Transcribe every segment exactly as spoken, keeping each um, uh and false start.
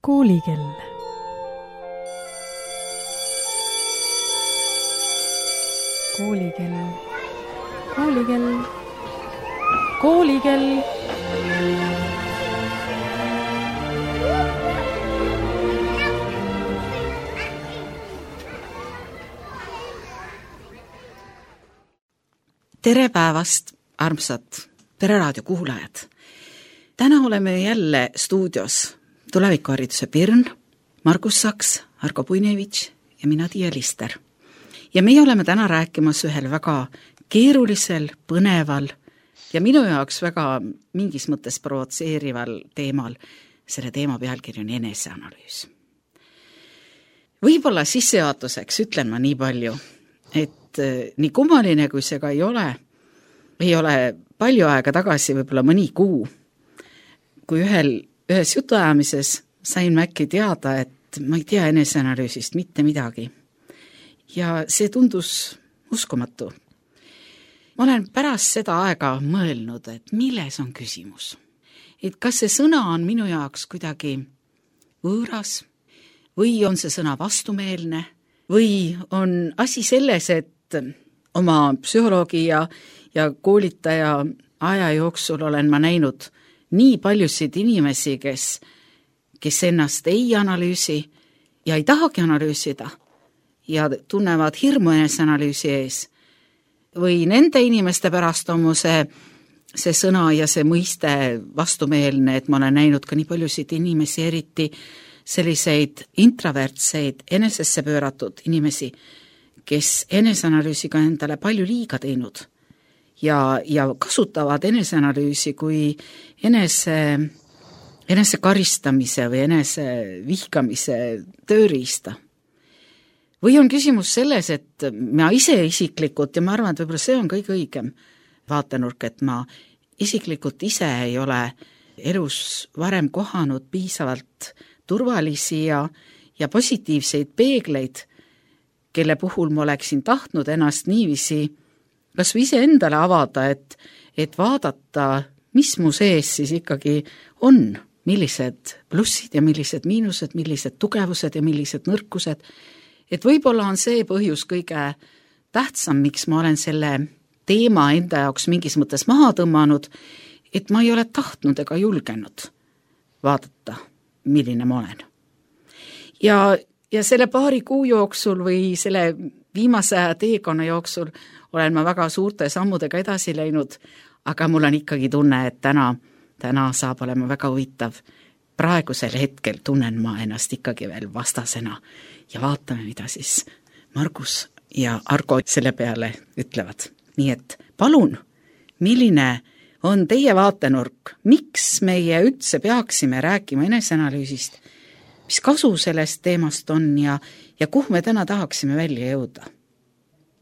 Koolikell. Koolikell. Koolikell. Koolikell. Tere päevast, armsad Pereraadio kuulajad! Täna oleme jälle stuudios tulevikuhariduse Pirn, Margus Saks, Argo Puinevitš ja mina Tiia Lister. Ja meie oleme täna rääkimas ühel väga keerulisel, põneval ja minu jaoks väga mingis mõttes provotseerival teemal. Selle teema pealkiri on eneseanalüüs. Võib-olla sissejuhatuseks ütlen ma nii palju, et nii kummaline kui see ka ei ole, ei ole palju aega tagasi, võib-olla mõni kuu, kui ühel, ühes jutuajamises sain ma äkki teada, et ma ei tea eneseanalüüsist mitte midagi. Ja see tundus uskumatu. Ma olen pärast seda aega mõelnud, et milles on küsimus. Et kas see sõna on minu jaoks kuidagi võõras või on see sõna vastumeelne või on asi selles, et oma psühholoogi ja, ja koolitaja aja jooksul olen ma näinud nii paljusid inimesi, kes, kes ennast ei analüüsi ja ei tahagi analüüsida ja tunnevad hirmu eneseanalüüsi ees. Või nende inimeste pärast on mu see, see sõna ja see mõiste vastumeelne, et ma olen näinud ka nii paljusid inimesi, eriti selliseid intravertseid, enesesse pööratud inimesi, kes eneseanalüüsiga endale palju liiga teinud ja, ja kasutavad eneseanalüüsi kui enese, enese karistamise või enese vihkamise tööriista. Või on küsimus selles, et ma ise isiklikult, ja ma arvan, et võib-olla see on kõige õigem vaatenurk, et ma isiklikult ise ei ole elus varem kohanud piisavalt turvalisi ja, ja positiivseid peegleid, kelle puhul ma oleksin tahtnud ennast niiviisi kas või ise endale avada, et, et vaadata, mis mu sees siis ikkagi on, millised plussid ja millised miinused, millised tugevused ja millised nõrkused. Et võib-olla on see põhjus kõige tähtsam, miks ma olen selle teema enda jaoks mingis mõttes maha tõmmanud, et ma ei ole tahtnud ega julgenud vaadata, milline ma olen. Ja Ja selle paari kuu jooksul või selle viimase teekonna jooksul olen ma väga suurte sammudega edasi läinud, aga mul on ikkagi tunne, et täna, täna saab olema väga huvitav. Praegusel hetkel tunnen ma ennast ikkagi veel vastasena ja vaatame, mida siis Margus ja Argo selle peale ütlevad. Nii et palun, milline on teie vaatenurk, miks meie üldse peaksime rääkima eneseanalüüsist, mis kasu sellest teemast on ja, ja kuhu me täna tahaksime välja jõuda?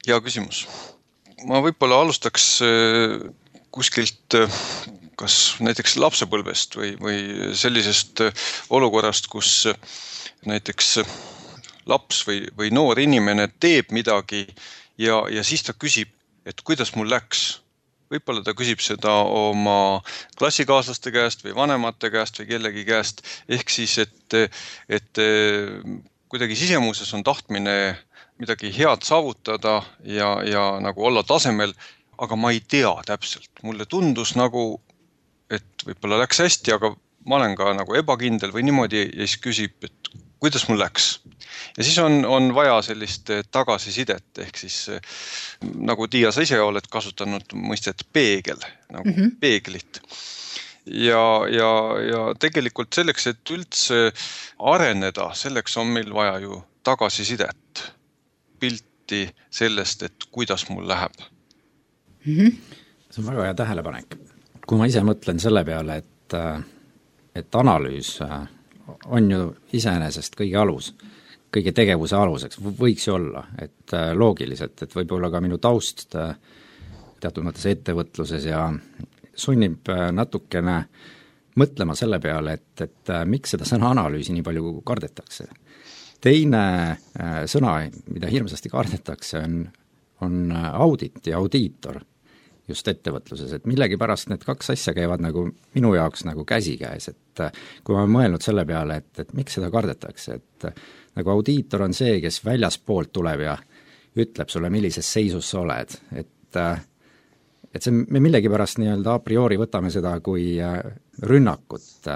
Hea küsimus. Ma võib-olla alustaks kuskilt kas näiteks lapsepõlvest või, või sellisest olukorrast, kus näiteks laps või, või noor inimene teeb midagi ja, ja siis ta küsib, et kuidas mul läks. Võib-olla ta küsib seda oma klassikaaslaste käest või vanemate käest või kellegi käest, ehk siis, et, et kuidagi sisemuses on tahtmine midagi head saavutada ja, ja nagu olla tasemel, aga ma ei tea täpselt. Mulle tundus nagu, et võib-olla läks hästi, aga ma olen ka nagu ebakindel või niimoodi ja siis küsib, et kuidas mul läks. Ja siis on, on vaja sellist tagasisidet, ehk siis nagu Tiia, sa ise oled kasutanud mõistet peegel, nagu mm-hmm. peeglit. Ja, ja, ja tegelikult selleks, et üldse areneda, selleks on meil vaja ju tagasisidet, pilti sellest, et kuidas mul läheb. Mm-hmm. See on väga hea tähelepanek. Kui ma ise mõtlen selle peale, et, et analüüs on ju iseenesest kõige alus, kõige tegevuse aluseks, võiks ju olla, et loogiliselt, et võib-olla ka minu taust teatud mõttes ettevõtluses ja sunnib natukene mõtlema selle peale, et, et miks seda sõna analüüsi nii palju kardetakse. Teine sõna, mida hirmsasti kardetakse, on, on audit ja audiitor. just ettevõtluses, et millegipärast need kaks asja käivad nagu minu jaoks nagu käsikäes, et kui ma olen mõelnud selle peale, et, et miks seda kardetakse, et nagu audiitor on see, kes väljaspoolt tuleb ja ütleb sulle, millises seisus sa oled, et et see, me millegipärast nii-öelda a priori võtame seda kui rünnakut,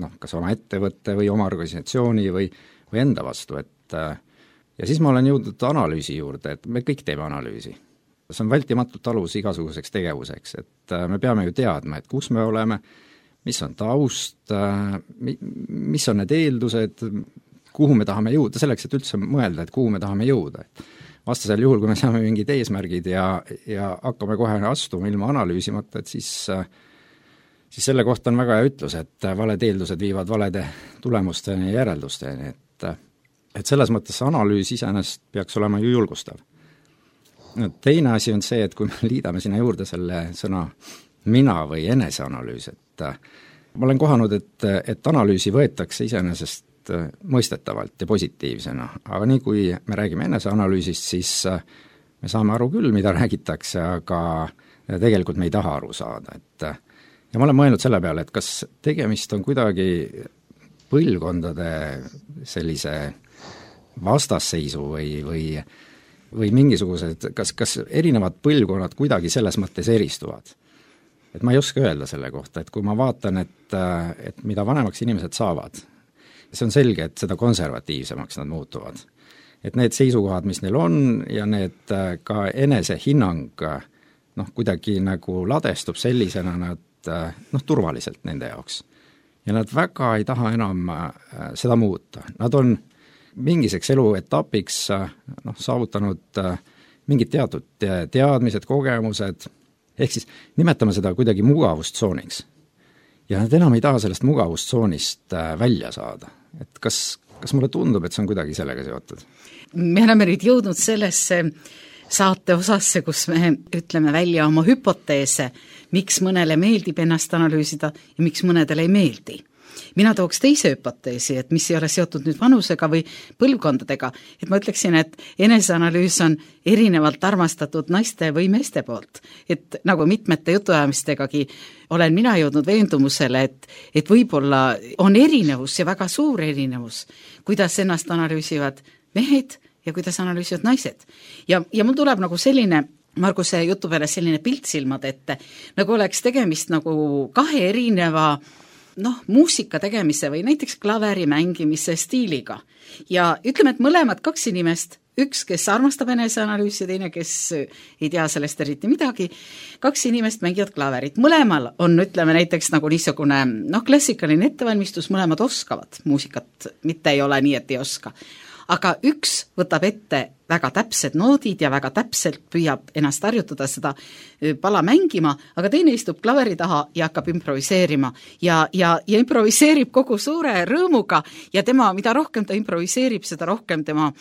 noh, kas oma ettevõtte või oma organisatsiooni või, või enda vastu, et ja siis ma olen jõudnud analüüsi juurde, et me kõik teeme analüüsi. See on vältimatult alus igasuguseks tegevuseks, et me peame ju teadma, et kus me oleme, mis on taust, mis on need eeldused, kuhu me tahame jõuda, selleks, et üldse mõelda, et kuhu me tahame jõuda. Vastasel juhul, kui me saame mingid eesmärgid ja, ja hakkame kohe astuma ilma analüüsimata, et siis, siis selle kohta on väga hea ütlus, et valed eeldused viivad valede tulemusteni ja järeldusteni, et, et selles mõttes analüüs iseenesest peaks olema ju julgustav. Teine asi on see, et kui me liidame sinna juurde selle sõna mina või eneseanalüüs, et ma olen kohanud, et, et analüüsi võetakse iseenesest mõistetavalt ja positiivsena, aga nii kui me räägime eneseanalüüsist, siis me saame aru küll, mida räägitakse, aga tegelikult me ei taha aru saada, et ja ma olen mõelnud selle peale, et kas tegemist on kuidagi põlvkondade sellise vastasseisu või, või või mingisugused, kas, kas erinevad põlvkonnad kuidagi selles mõttes eristuvad. Et ma ei oska öelda selle kohta, et kui ma vaatan, et, et mida vanemaks inimesed saavad, see on selge, et seda konservatiivsemaks nad muutuvad. Et need seisukohad, mis neil on ja need ka enesehinnang noh, kuidagi nagu ladestub sellisena nad noh, turvaliselt nende jaoks. Ja nad väga ei taha enam seda muuta. Nad on mingiseks eluetapiks noh, saavutanud mingid teatud teadmised, kogemused, ehk siis nimetame seda kuidagi mugavustsooniks. Ja nad enam ei taha sellest mugavustsoonist välja saada. Et kas, kas mulle tundub, et see on kuidagi sellega seotud? Me oleme nüüd jõudnud sellesse saate osasse, kus me ütleme välja oma hüpoteese, miks mõnele meeldib ennast analüüsida ja miks mõnedele ei meeldi. Mina tooks teise hüpoteesi, et mis ei ole seotud nüüd vanusega või põlvkondadega, et ma ütleksin, et eneseanalüüs on erinevalt armastatud naiste või meeste poolt. Et nagu mitmete jutuajamistegagi olen mina jõudnud veendumusele, et, et võib-olla on erinevus ja väga suur erinevus, kuidas ennast analüüsivad mehed ja kuidas analüüsivad naised. Ja, ja mul tuleb nagu selline Marguse jutu peale selline pilt silmad ette, nagu oleks tegemist nagu kahe erineva noh, muusika tegemise või näiteks klaveri mängimise stiiliga. Ja ütleme, et mõlemad kaks inimest, üks, kes armastab eneseanalüüsi, teine, kes ei tea sellest eriti midagi, kaks inimest mängivad klaverit. Mõlemal on, ütleme näiteks nagu niisugune noh, klassikaline ettevalmistus, mõlemad oskavad muusikat, mitte ei ole nii, et ei oska. Aga üks võtab ette väga täpsed noodid ja väga täpselt püüab ennast harjutada seda pala mängima, aga teine istub klaveri taha ja hakkab improviseerima ja, ja, ja improviseerib kogu suure rõõmuga ja tema, mida rohkem ta improviseerib, seda rohkem tema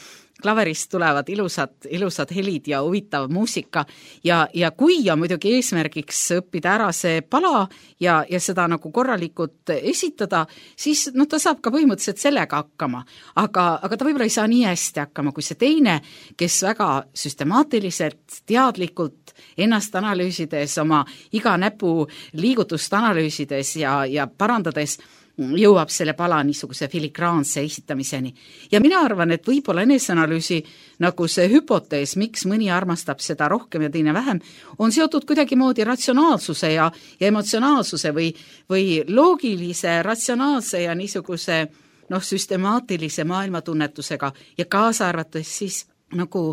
klaverist tulevad ilusad, ilusad helid ja huvitav muusika ja, ja kui ja muidugi eesmärgiks õppida ära see pala ja, ja seda nagu korralikult esitada, siis no ta saab ka põhimõtteliselt sellega hakkama, aga, aga ta võib-olla ei saa nii hästi hakkama kui see teine, kes väga süstemaatiliselt, teadlikult ennast analüüsides, oma iga näpu liigutust analüüsides ja, ja parandades jõuab selle pala niisuguse filigraanse esitamiseni. Ja mina arvan, et võib-olla eneseanalüüsi nagu see hüpotees, miks mõni armastab seda rohkem ja teine vähem, on seotud kuidagi moodi ratsionaalsuse ja, ja emotsionaalsuse või, või loogilise, ratsionaalse ja niisuguse noh, süstemaatilise maailmatunnetusega ja kaasa arvates siis nagu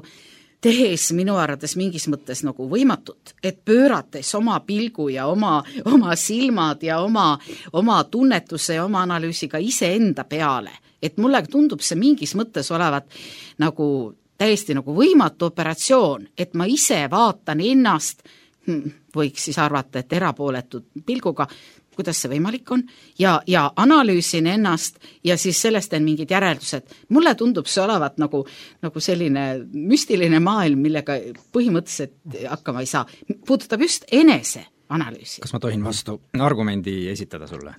tehes minu arvates mingis mõttes nagu võimatut, et pöörates oma pilgu ja oma, oma silmad ja oma, oma tunnetuse ja oma analüüsiga iseenda peale, et mulle tundub see mingis mõttes olevat nagu täiesti nagu võimatu operatsioon, et ma ise vaatan ennast, võiks siis arvata, et erapooletud pilguga, kuidas see võimalik on, ja, ja analüüsin ennast ja siis sellest on mingid järeldused. Mulle tundub see olevat nagu, nagu selline müstiline maailm, millega põhimõtteliselt hakkama ei saa. Puudutab just enese analüüsi. Kas ma tohin vastu argumendi esitada sulle?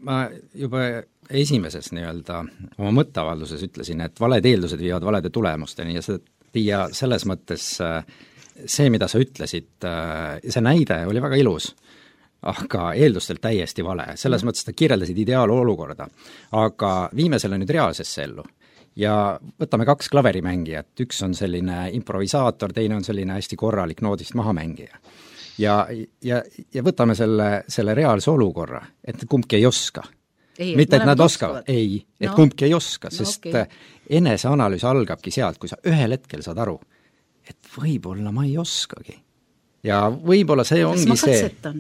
Ma juba esimeses nii-öelda oma mõtteavalduses ütlesin, et valed eeldused viivad valede tulemusteni ja, see, ja selles mõttes see, mida sa ütlesid, see näide oli väga ilus, aga eeldustelt täiesti vale. Selles mm. mõttes, et kirjeldasid ideaalolukorda. Aga viime selle nüüd reaalsesse ellu. Ja võtame kaks klaverimängijat, üks on selline improvisaator, teine on selline hästi korralik noodist mahamängija. Ja, ja, ja võtame selle, selle reaalse olukorra, et kumbki ei oska. Ei, mitte, et nad oskavad, oskavad. Ei, et no. kumbki ei oska, no, sest okay. eneseanalüüs algabki sealt, kui sa ühel hetkel saad aru, et võib-olla ma ei oskagi. Ja võib-olla see ongi Kas see...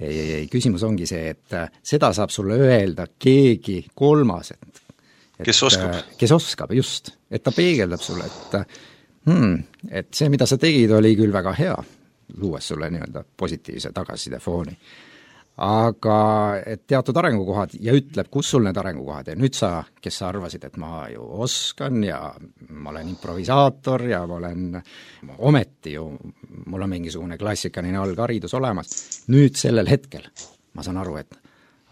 Ei, ei, ei, küsimus ongi see, et seda saab sulle öelda keegi kolmas, et, et kes oskab. Kes oskab, just. Et ta peegeldab sulle, et, hmm, et see, mida sa tegid, oli küll väga hea, luues sulle nii-öelda positiivse tagasiside fooni. Aga et teatud arengukohad ja ütleb, kus sul need arengukohad ja nüüd sa, kes sa arvasid, et ma ju oskan ja ma olen improvisaator ja ma olen ometi ju, mul on mingisugune klassikaline algharidus olemas, nüüd sellel hetkel ma saan aru, et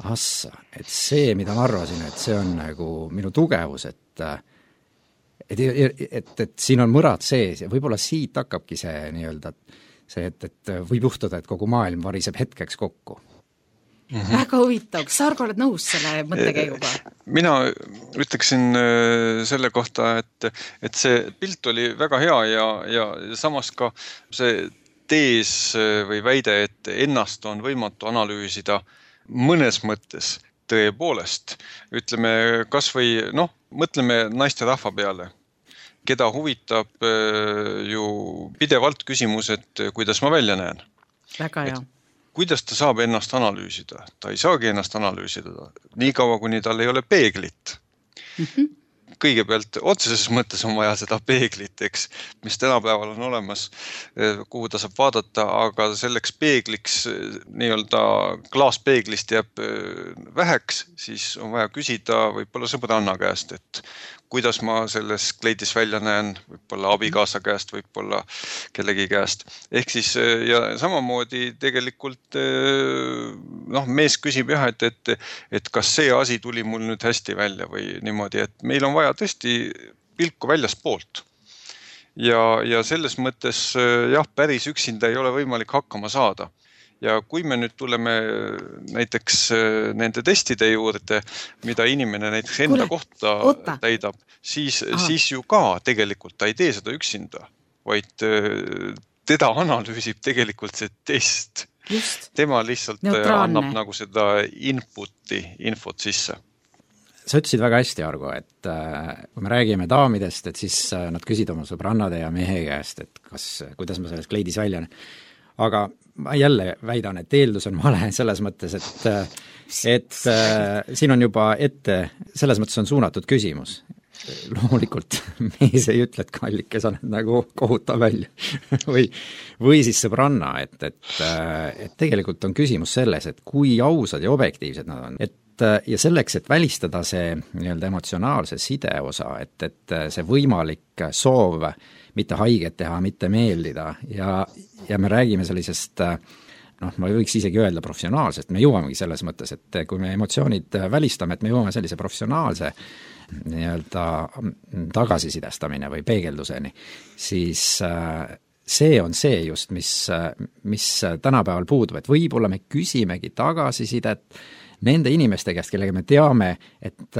assa, et see, mida ma arvasin, et see on nagu minu tugevus, et et, et, et, et siin on mõrad sees ja võib-olla siit hakkabki see nii-öelda see, et, et võib juhtuda, et kogu maailm variseb hetkeks kokku. Mm-hmm. Väga huvitav, kas Argo oled nõus selle mõttekäiguga? Mina ütleksin selle kohta, et, et see pilt oli väga hea ja, ja samas ka see tees või väide, et ennast on võimatu analüüsida mõnes mõttes tõepoolest. Ütleme, kas või, noh, mõtleme naiste rahva peale, keda huvitab ju pidevalt küsimus, et kuidas ma välja näen. Väga hea. Kuidas ta saab ennast analüüsida? Ta ei saagi ennast analüüsida. Nii kaua, kuni tal ei ole peeglit. Mm-hmm. Kõigepealt otseses mõttes on vaja seda peeglit, eks, mis tänapäeval on olemas, kuhu ta saab vaadata, aga selleks peegliks, nii-öelda klaaspeeglist jääb väheks, siis on vaja küsida võib-olla sõbranna käest, et kuidas ma selles kleidis välja näen, võib-olla abikaasa käest, võib-olla kellegi käest. Ehk siis, ja samamoodi tegelikult, noh, mees küsib jah, et, et, et kas see asi tuli mul nüüd hästi välja või niimoodi, et meil on vaja tõesti pilku väljas poolt. Ja, ja selles mõttes, jah, päris üksinda ei ole võimalik hakkama saada. Ja kui me nüüd tuleme näiteks nende testide juurde, mida inimene näiteks enda Kule, kohta oota. täidab, siis, siis ju ka tegelikult ta ei tee seda üksinda, vaid teda analüüsib tegelikult see test. Just. Tema lihtsalt Neutraalne. annab nagu seda inputi, infot sisse. Sa ütlesid väga hästi, Argo, et kui me räägime daamidest, et siis nad küsid oma sõbrannade ja mehe käest, et kas, kuidas ma selles kleidis välja näen. Aga ma jälle väidan, et eeldus on vale selles mõttes, et, et siin on juba ette, selles mõttes on suunatud küsimus. Loomulikult mees ei ütle, et kallike sa nagu kohutav välja või, või siis sõbranna, et, et, et tegelikult on küsimus selles, et kui ausad ja objektiivsed nad on, et ja selleks, et välistada see nii-öelda emotsionaalse side osa, et, et see võimalik soov mitte haiget teha, mitte meeldida ja, ja me räägime sellisest, noh, ma võiks isegi öelda professionaalsest, me jõuamegi selles mõttes, et kui me emotsioonid välistame, et me jõuame sellise professionaalse nii-öelda tagasisidestamine või peegelduseni, siis see on see just, mis, mis tänapäeval puudub, et võib-olla me küsimegi tagasisidet nende inimeste käest, kellega me teame, et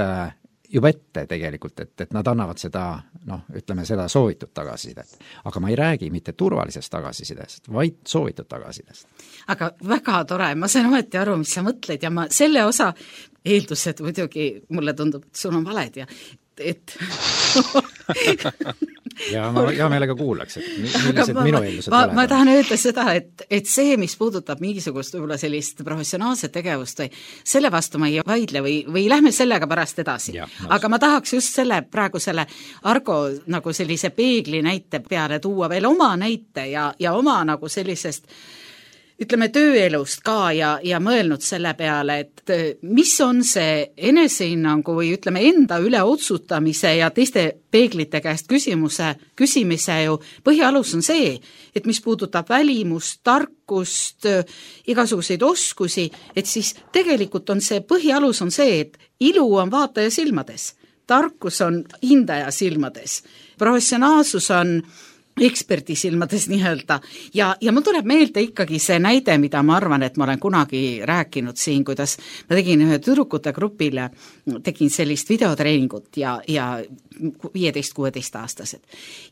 juba ette tegelikult, et, et nad annavad seda, noh, ütleme seda soovitud tagasisidet. Aga ma ei räägi mitte turvalisest tagasisidest, vaid soovitud tagasisidest. Aga väga tore, ma sain ometi aru, mis sa mõtled ja ma selle osa eeldused muidugi mulle tundub, et sul on valed ja et ja ma hea meelega kuulaks, et millised ma, minu eeldused ma, ma tahan öelda seda, et, et see, mis puudutab mingisugust võib-olla sellist professionaalset tegevust või selle vastu ma ei vaidle või, või lähme sellega pärast edasi. Ja, aga ma tahaks just selle praegu selle Argo nagu sellise peegli näite peale tuua veel oma näite ja, ja oma nagu sellisest ütleme tööelust ka ja, ja mõelnud selle peale, et mis on see enesehinnangu või ütleme enda üle otsutamise ja teiste peeglite käest küsimuse, küsimise ju põhialus on see, et mis puudutab välimust, tarkust, igasuguseid oskusi, et siis tegelikult on see põhialus on see, et ilu on vaataja silmades, tarkus on hindaja silmades, professionaalsus on eksperdi silmades nii-öelda ja, ja mul tuleb meelde ikkagi see näide, mida ma arvan, et ma olen kunagi rääkinud siin, kuidas ma tegin ühe tüdrukute grupile, tegin sellist videotreeningut ja, ja viieteist kuueteist aastased.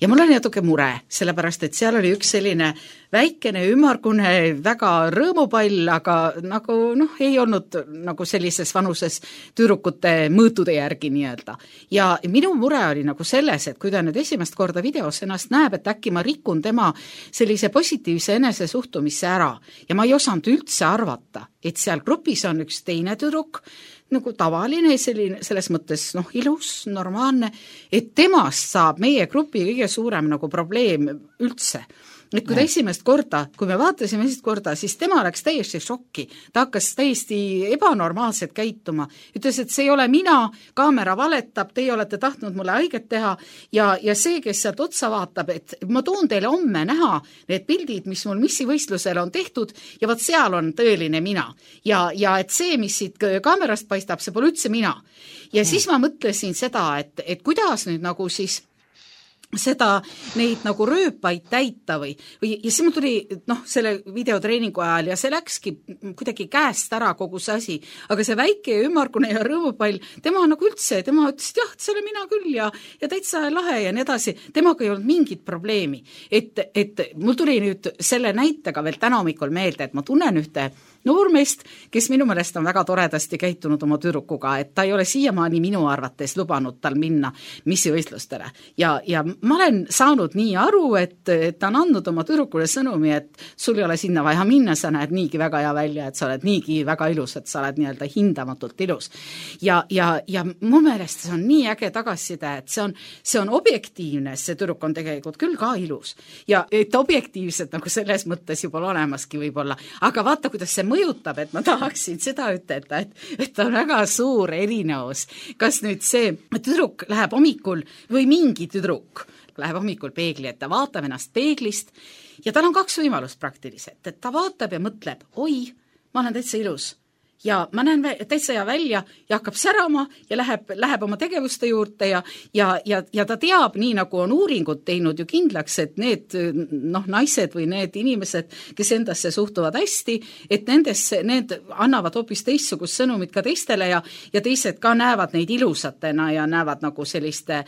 Ja mul oli natuke mure, sellepärast, et seal oli üks selline väikene, ümargune, väga rõõmupall, aga nagu noh, ei olnud nagu sellises vanuses tüdrukute mõõtude järgi nii-öelda. Ja minu mure oli nagu selles, et kui ta nüüd esimest korda videos ennast näeb, et äkki ma rikun tema sellise positiivse enesesuhtumisse ära ja ma ei osanud üldse arvata, et seal grupis on üks teine tüdruk, nagu tavaline, selline, selles mõttes noh, ilus, normaalne, et temast saab meie grupi kõige suurem nagu probleem üldse. Et kui ta esimest korda, kui me vaatasime esimest korda, siis tema läks täiesti šokki. Ta hakkas täiesti ebanormaalselt käituma. Ütles, et see ei ole mina, kaamera valetab, teie olete tahtnud mulle haiget teha ja, ja see, kes sealt otsa vaatab, et ma toon teile homme näha need pildid, mis mul missivõistlusel on tehtud ja vaat seal on tõeline mina. Ja, ja et see, mis siit kaamerast paistab, see pole üldse mina. Ja siis ma mõtlesin seda, et, et kuidas nüüd nagu siis seda, neid nagu rööpaid täita või, või ja siis mul tuli noh, selle videotreeningu ajal ja see läkski kuidagi käest ära kogu see asi, aga see väike ümmargune ja rõõmupall, tema nagu üldse, tema ütles, et jah, see olen mina küll ja, ja täitsa lahe ja nii edasi, temaga ei olnud mingit probleemi, et, et mul tuli nüüd selle näitega veel täna hommikul meelde, et ma tunnen ühte noormeest, kes minu meelest on väga toredasti käitunud oma tüdrukuga, et ta ei ole siiamaani minu arvates lubanud tal minna missivõistlustele ja, ja ma olen saanud nii aru, et, et ta on andnud oma tüdrukule sõnumi, et sul ei ole sinna vaja minna, sa näed niigi väga hea välja, et sa oled niigi väga ilus, et sa oled nii-öelda hindamatult ilus. Ja, ja, ja mu meelest see on nii äge tagasiside, et see on, see on objektiivne, see tüdruk on tegelikult küll ka ilus ja et objektiivselt nagu selles mõttes juba olemaski võib-olla, aga vaata, kuidas see mõjutab, et ma tahaksin seda ütelda, et, et on väga suur erinevus. Kas nüüd see tüdruk läheb hommikul või mingi tüdruk läheb hommikul peegli, et ta vaatab ennast peeglist ja tal on kaks võimalust praktiliselt, et ta vaatab ja mõtleb, oi, ma olen täitsa ilus ja ma näen täitsa hea välja ja hakkab särama ja läheb, läheb oma tegevuste juurde ja, ja, ja, ja ta teab, nii nagu on uuringud teinud ju kindlaks, et need noh, naised või need inimesed, kes endasse suhtuvad hästi, et nendesse, need annavad hoopis teistsugust sõnumit ka teistele ja, ja teised ka näevad neid ilusatena ja näevad nagu selliste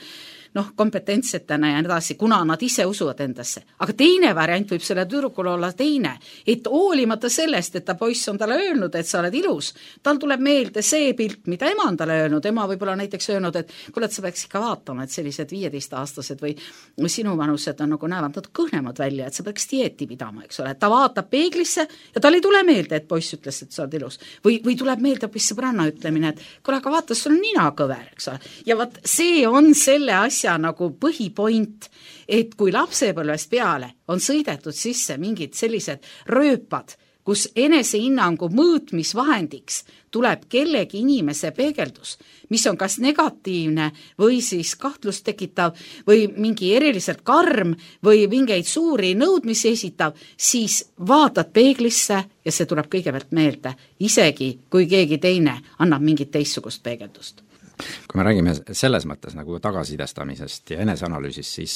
noh, kompetentsetena ja nii edasi, kuna nad ise usuvad endasse. Aga teine variant võib selle tüdrukul olla teine, et hoolimata sellest, et ta poiss on talle öelnud, et sa oled ilus, tal tuleb meelde see pilt, mida ema on talle öelnud, ema võib-olla näiteks öelnud, et kuule, et sa peaks ikka vaatama, et sellised viieteistaastased või, või sinu vanused on nagu näevad nad kõhnemad välja, et sa peaks dieeti pidama, eks ole, ta vaatab peeglisse ja tal ei tule meelde, et poiss ütles, et sa oled ilus. Või, või tuleb meelde hoopis sõbranna ütlemine, et kuule, aga vaata, sul on nina kõver, eks ole. Ja vaat see on selle asja nagu põhipoint, et kui lapsepõlvest peale on sõidetud sisse mingid sellised rööpad, kus enesehinnangu mõõtmisvahendiks tuleb kellegi inimese peegeldus, mis on kas negatiivne või siis kahtlust tekitav või mingi eriliselt karm või mingeid suuri nõudmisi esitav, siis vaatad peeglisse ja see tuleb kõigepealt meelde, isegi kui keegi teine annab mingit teistsugust peegeldust. Kui me räägime selles mõttes nagu tagasisidestamisest ja eneseanalüüsist, siis,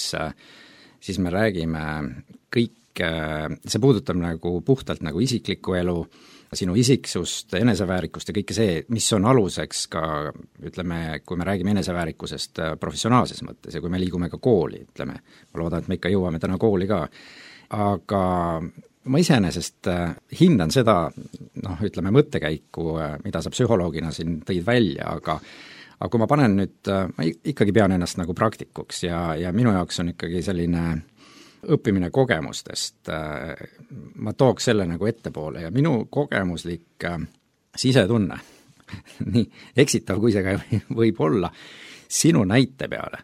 siis me räägime kõik, see puudutab nagu puhtalt nagu isiklikku elu, sinu isiksust, eneseväärikust ja kõike see, mis on aluseks ka, ütleme, kui me räägime eneseväärikusest professionaalses mõttes ja kui me liigume ka kooli, ütleme, ma loodan, et me ikka jõuame täna kooli ka, aga ma iseenesest hindan seda, noh, ütleme, mõttekäiku, mida sa psühholoogina siin tõid välja, aga aga kui ma panen nüüd, ma ikkagi pean ennast nagu praktikuks ja, ja minu jaoks on ikkagi selline õppimine kogemustest, ma tooks selle nagu ettepoole ja minu kogemuslik sisetunne, nii eksitav kui see ka võib olla, sinu näite peale,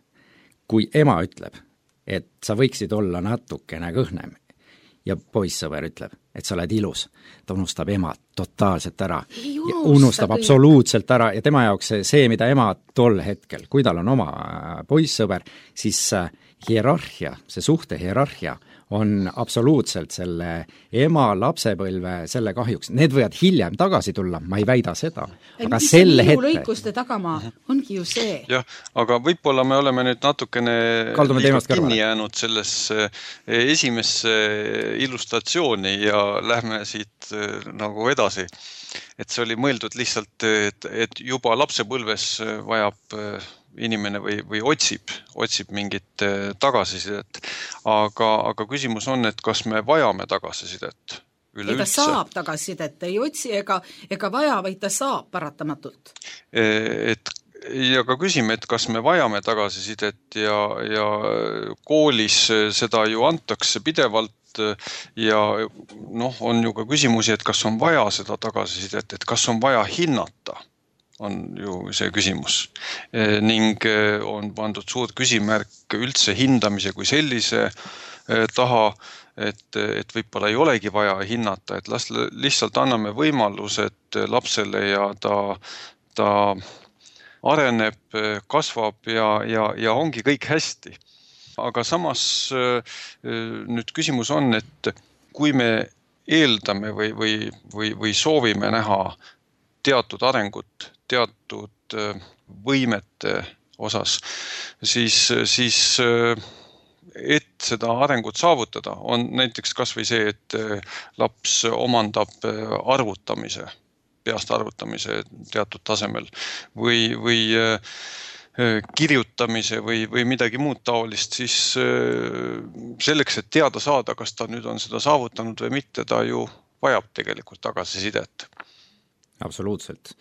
kui ema ütleb, et sa võiksid olla natukene kõhnem ja poissõber ütleb, et sa oled ilus, ta unustab ema totaalselt ära, unustab absoluutselt ära ja tema jaoks see, see, mida ema tol hetkel, kui tal on oma poissõber, siis hierarhia, see suhte hierarhia on absoluutselt selle ema lapsepõlve selle kahjuks. Need võivad hiljem tagasi tulla, ma ei väida seda. Aga selle hetke... lõikuste tagamaa ongi ju see. Jah, aga võib-olla me oleme nüüd natukene kinni jäänud sellesse esimesse illustratsiooni ja lähme siit nagu edasi. Et see oli mõeldud lihtsalt, et, et juba lapsepõlves vajab inimene või, või otsib, otsib mingit tagasisidet. Aga, aga küsimus on, et kas me vajame tagasisidet üleüldse? Ei ta saab tagasisidet, ei otsi ega, ega vaja, vaid ta saab paratamatult. Et, ja ka küsime, et kas me vajame tagasisidet ja, ja koolis seda ju antakse pidevalt ja noh, on ju ka küsimusi, et kas on vaja seda tagasisidet, et kas on vaja hinnata, on ju see küsimus. Ning on pandud suur küsimärk üldse hindamise kui sellise taha, et, et võib-olla ei olegi vaja hinnata, et las lihtsalt anname võimalused lapsele ja ta, ta areneb, kasvab ja, ja, ja ongi kõik hästi. Aga samas nüüd küsimus on, et kui me eeldame või, või, või, või soovime näha teatud arengut, teatud võimete osas, siis, siis et seda arengut saavutada, on näiteks kas või see, et laps omandab arvutamise, peast arvutamise teatud tasemel või, või kirjutamise või, või midagi muud taolist, siis selleks, et teada saada, kas ta nüüd on seda saavutanud või mitte, ta ju vajab tegelikult tagasisidet. Absoluutselt.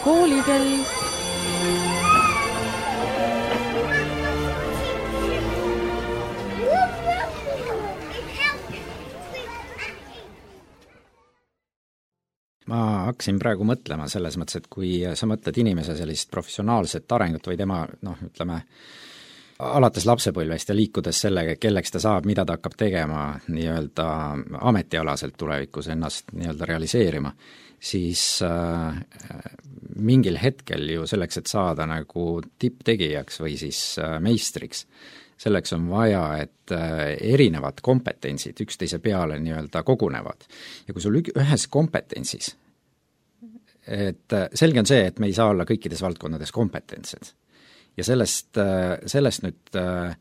Koolikell. Ma hakkasin praegu mõtlema selles mõttes, et kui sa mõtled inimese sellist professionaalset arengut või tema, noh, ütleme, alates lapsepõlvest ja liikudes sellega, kelleks ta saab, mida ta hakkab tegema nii-öelda ametialaselt tulevikus ennast nii-öelda realiseerima, siis äh, mingil hetkel ju selleks, et saada nagu tipptegijaks või siis äh, meistriks, selleks on vaja, et äh, erinevad kompetentsid üksteise peale nii-öelda kogunevad. Ja kui sul ühes kompetentsis, et äh, selge on see, et me ei saa olla kõikides valdkondades kompetentsed. Ja sellest, äh, sellest nüüd äh,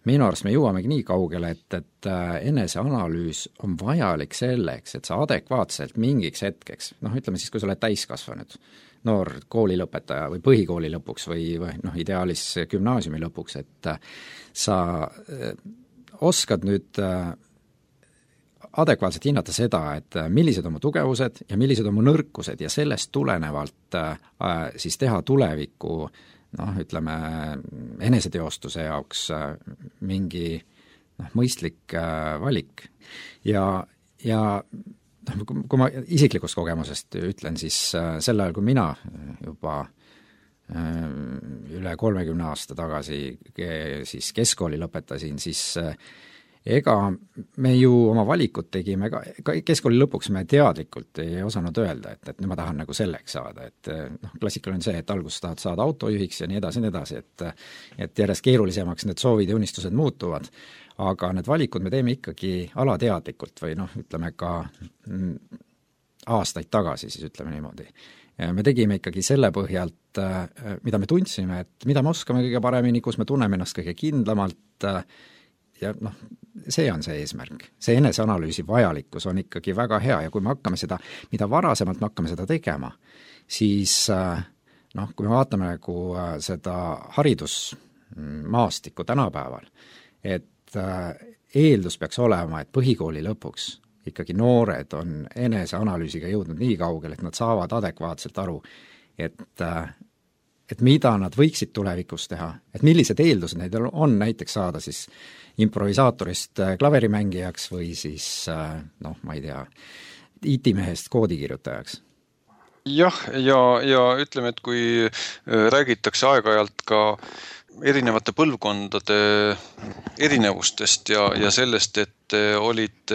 minu arust me jõuamegi nii kaugele, et, et eneseanalüüs on vajalik selleks, et sa adekvaatselt mingiks hetkeks, noh ütleme siis, kui sa oled täiskasvanud, noor koolilõpetaja või põhikooli lõpuks või, või noh, ideaalis gümnaasiumi lõpuks, et sa oskad nüüd adekvaatselt hinnata seda, et millised on mu tugevused ja millised on mu nõrkused ja sellest tulenevalt äh, siis teha tuleviku noh, ütleme, eneseteostuse jaoks äh, mingi noh, mõistlik äh, valik. Ja, ja noh, kui ma isiklikust kogemusest ütlen, siis äh, sel ajal, kui mina juba äh, üle kolmekümne aasta tagasi siis keskkooli lõpetasin, siis äh, ega me ju oma valikut tegime ka, ka keskkooli lõpuks me teadlikult ei osanud öelda, et, et nüüd ma tahan nagu selleks saada, et noh, klassikaline on see, et alguses tahad saada autojuhiks ja nii edasi, nii edasi, et et järjest keerulisemaks need soovid ja unistused muutuvad, aga need valikud me teeme ikkagi alateadlikult või noh, ütleme ka aastaid tagasi, siis ütleme niimoodi. Me tegime ikkagi selle põhjalt, mida me tundsime, et mida me oskame kõige paremini, kus me tunneme ennast kõige kindlamalt ja noh, see on see eesmärk. See eneseanalüüsi vajalikkus on ikkagi väga hea ja kui me hakkame seda, mida varasemalt me hakkame seda tegema, siis noh, kui me vaatame nagu seda haridusmaastikku tänapäeval, et eeldus peaks olema, et põhikooli lõpuks ikkagi noored on eneseanalüüsiga jõudnud nii kaugel, et nad saavad adekvaatselt aru, et et mida nad võiksid tulevikus teha, et millised eeldused neid on näiteks saada siis improvisaatorist klaverimängijaks või siis noh, ma ei tea, I T-mehest koodikirjutajaks. Jah, ja, ja ütleme, et kui räägitakse aeg-ajalt ka erinevate põlvkondade erinevustest ja, ja sellest, et olid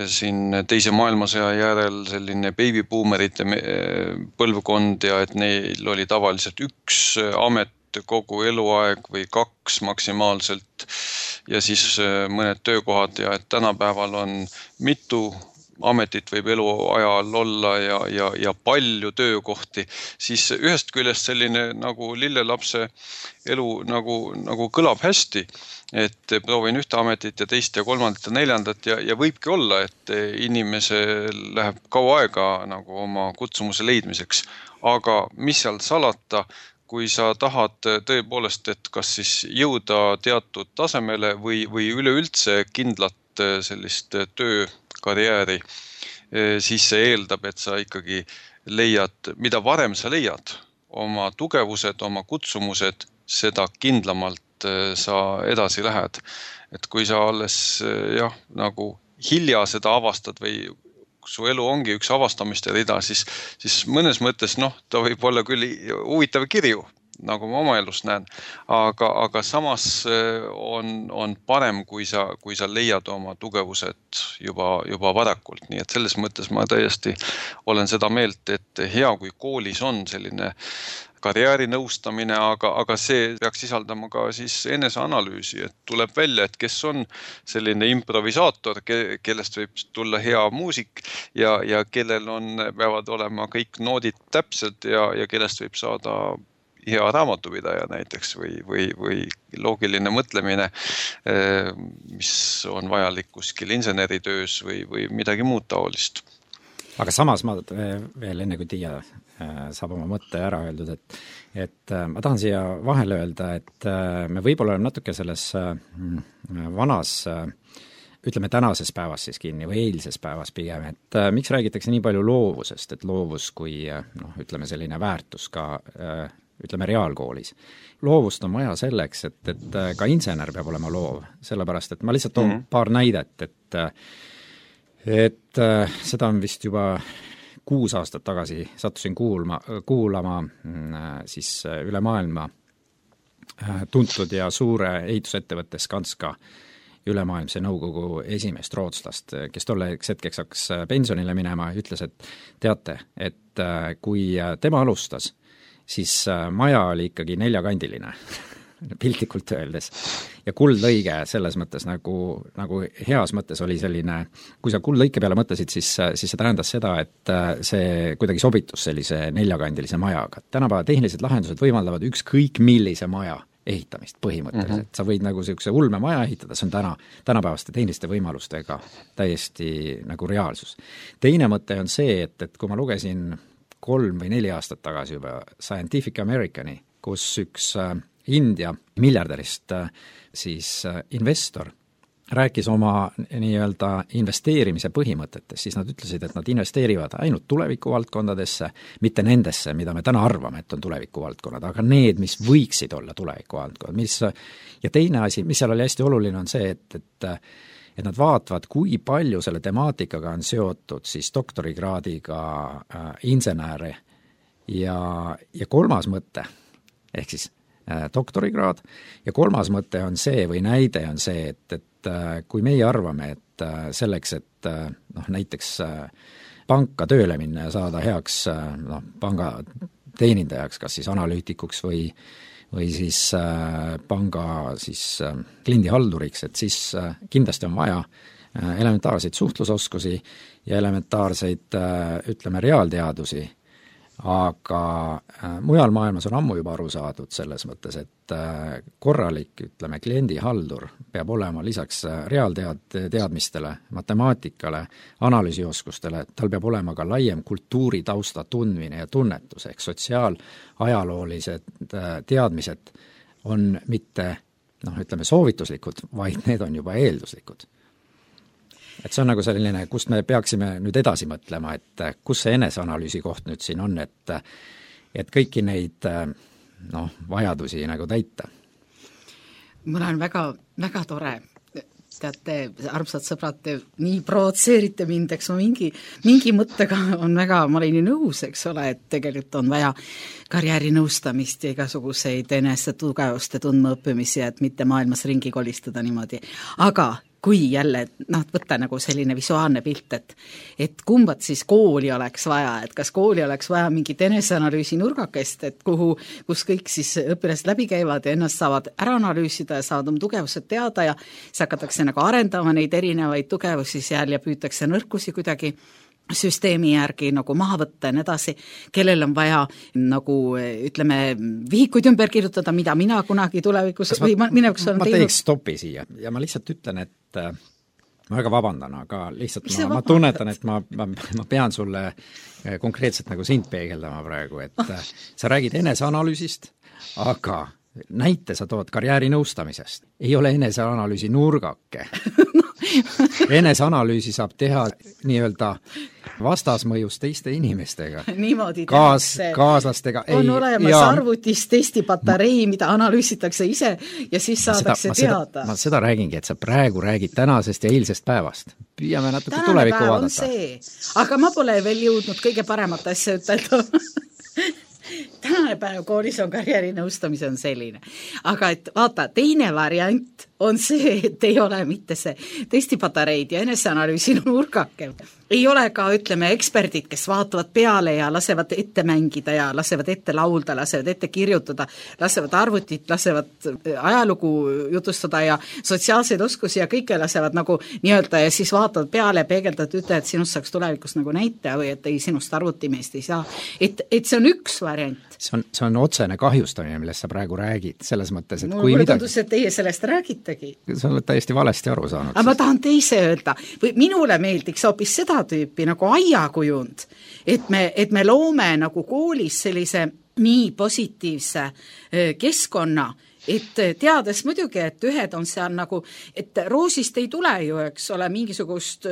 siin teise maailmasõja järel selline babybuumerite põlvkond ja et neil oli tavaliselt üks amet kogu eluaeg või kaks maksimaalselt ja siis mõned töökohad ja et tänapäeval on mitu ametit võib eluajal olla ja, ja, ja palju töökohti, siis ühest küljest selline nagu lillelapse elu nagu, nagu kõlab hästi, et proovin ühte ametit ja teist ja kolmandat ja neljandat ja, ja võibki olla, et inimesel läheb kaua aega nagu oma kutsumuse leidmiseks, aga mis seal salata, kui sa tahad tõepoolest, et kas siis jõuda teatud tasemele või, või üleüldse kindlat sellist töökarjääri, siis see eeldab, et sa ikkagi leiad, mida varem sa leiad, oma tugevused, oma kutsumused, seda kindlamalt sa edasi lähed. Et kui sa alles jah, nagu hilja seda avastad või su elu ongi üks avastamiste rida, siis, siis mõnes mõttes noh, ta võib olla küll huvitav kirju, nagu ma oma elus näen, aga, aga samas on, on parem, kui sa, kui sa leiad oma tugevused juba, juba varakult. Nii et selles mõttes ma täiesti olen seda meelt, et hea, kui koolis on selline karjäärinõustamine, aga, aga see peaks sisaldama ka siis eneseanalüüsi, et tuleb välja, et kes on selline improvisaator, ke, kellest võib tulla hea muusik ja, ja kellel on, peavad olema kõik noodid täpselt ja, ja kellest võib saada hea raamatupidaja näiteks või, või, või loogiline mõtlemine, mis on vajalik kuskil inseneritöös või, või midagi muud taolist. Aga samas ma veel enne kui Tiia saab oma mõtte ära öeldud, et, et ma tahan siia vahele öelda, et me võib-olla oleme natuke selles vanas, ütleme tänases päevas siis kinni või eilses päevas pigem, et miks räägitakse nii palju loovusest, et loovus kui noh, ütleme selline väärtus ka ütleme reaalkoolis. Loovust on vaja selleks, et, et ka insener peab olema loov, sellepärast et ma lihtsalt toon mm-hmm. paar näidet, et et seda on vist juba kuus aastat tagasi sattusin kuulma, kuulama siis üle maailma tuntud ja suure ehitusettevõtte Skanska ülemaailmse nõukogu esimest rootslast, kes tolleks hetkeks hakkas pensionile minema ja ütles, et teate, et kui tema alustas, siis maja oli ikkagi neljakandiline, piltlikult öeldes. Ja kuldlõige selles mõttes nagu, nagu heas mõttes oli selline, kui sa kuldlõike peale mõtlesid, siis, siis see tähendas seda, et see kuidagi sobitus sellise neljakandilise majaga. Tänapäeva tehnilised lahendused võimaldavad ükskõik millise maja ehitamist põhimõtteliselt. Mm-hmm. Sa võid nagu sellise ulme maja ehitada, see on täna, tänapäevaste tehniliste võimalustega täiesti nagu reaalsus. Teine mõte on see, et, et kui ma lugesin kolm või neli aastat tagasi juba Scientific Americani, kus üks India miljardärist siis investor rääkis oma nii-öelda investeerimise põhimõtetest, siis nad ütlesid, et nad investeerivad ainult tulevikuvaldkondadesse, mitte nendesse, mida me täna arvame, et on tulevikuvaldkonnad, aga need, mis võiksid olla tulevikuvaldkonnad, mis ja teine asi, mis seal oli hästi oluline, on see, et, et et nad vaatavad, kui palju selle temaatikaga on seotud siis doktorikraadiga äh, insenäre ja, ja kolmas mõte, ehk siis äh, doktorikraad, ja kolmas mõte on see või näide on see, et, et äh, kui meie arvame, et äh, selleks, et äh, noh, näiteks äh, panka tööle minna ja saada heaks äh, noh, panga teenindajaks, kas siis analüütikuks või või siis äh, panga siis äh, kliendihalduriks, et siis äh, kindlasti on vaja äh, elementaarseid suhtlusoskusi ja elementaarseid äh, ütleme, reaalteadusi, aga äh, mujal maailmas on ammu juba aru saadud selles mõttes, et äh, korralik, ütleme, kliendihaldur peab olema lisaks äh, reaaltead-, teadmistele, matemaatikale, analüüsioskustele, tal peab olema ka laiem kultuuritausta tundmine ja tunnetus, ehk sotsiaalajaloolised äh, teadmised on mitte noh, ütleme soovituslikud, vaid need on juba eelduslikud. Et see on nagu selline, kust me peaksime nüüd edasi mõtlema, et kus see eneseanalüüsi koht nüüd siin on, et et kõiki neid noh, vajadusi nagu täita. Mul on väga, väga tore, teate, armsad sõbrad, te nii provotseerite mind, eks ma mingi, mingi mõttega on väga, ma olin ju nõus, eks ole, et tegelikult on vaja karjäärinõustamist ja igasuguseid enese tugevuste tundmaõppimisi, et mitte maailmas ringi kolistada niimoodi, aga kui jälle, noh, võtta nagu selline visuaalne pilt, et et kumbat siis kooli oleks vaja, et kas kooli oleks vaja mingit eneseanalüüsi nurgakest, et kuhu, kus kõik siis õpilased läbi käivad ja ennast saavad ära analüüsida ja saavad oma tugevused teada ja siis hakatakse nagu arendama neid erinevaid tugevusi seal ja püütakse nõrkusi kuidagi süsteemi järgi nagu maha võtta ja nii edasi, kellel on vaja nagu ütleme, vihikuid ümber kirjutada, mida mina kunagi tulevikus Kas või ma, minevikus olen ma teinud. teeks stopi siia ja ma lihtsalt ütlen, et äh, ma väga vabandan, aga lihtsalt Mis sa ma, ma vabandad? tunnetan, et ma, ma, ma pean sulle äh, konkreetselt nagu sind peegeldama praegu, et äh, sa räägid eneseanalüüsist, aga näite sa tood karjäärinõustamisest. Ei ole eneseanalüüsi nurgake. Eneseanalüüsi saab teha nii-öelda vastasmõjus teiste inimestega. Niimoodi Kaas, tehakse. kaaslastega. On ei, olemas ja, arvutis testipatarei, mida analüüsitakse ise ja siis saadakse ma seda, teada. ma seda räägingi, et sa praegu räägid tänasest ja eilsest päevast. Püüame natuke Tänane tulevikku päev on vaadata. see, aga ma pole veel jõudnud kõige paremat asja ütelda. Tänane päev koolis on karjäärinõustamise on selline. Aga et vaata, teine variant on see, et ei ole mitte see testipatareid ja eneseanalüüsi nurgake. Ei ole ka, ütleme, eksperdid, kes vaatavad peale ja lasevad ette mängida ja lasevad ette laulda, lasevad ette kirjutada, lasevad arvutit, lasevad ajalugu jutustada ja sotsiaalseid oskusi ja kõike lasevad nagu nii-öelda ja siis vaatavad peale ja peegeldavad, ütle, et sinust saaks tulevikus nagu näitaja või et ei, sinust arvutimeest ei saa. Et, et see on üks variant. See on, see on otsene kahjustamine, millest sa praegu räägid, selles mõttes, et Mul kui mulle midagi... tundus, et teie sellest räägitegi. Sa oled täiesti valesti aru saanud. Aga ma tahan teise öelda, või minule meeldiks hoopis seda tüüpi nagu aiakujund, et me, et me loome nagu koolis sellise nii positiivse keskkonna, et teades muidugi, et ühed on seal nagu, et roosist ei tule ju, eks ole, mingisugust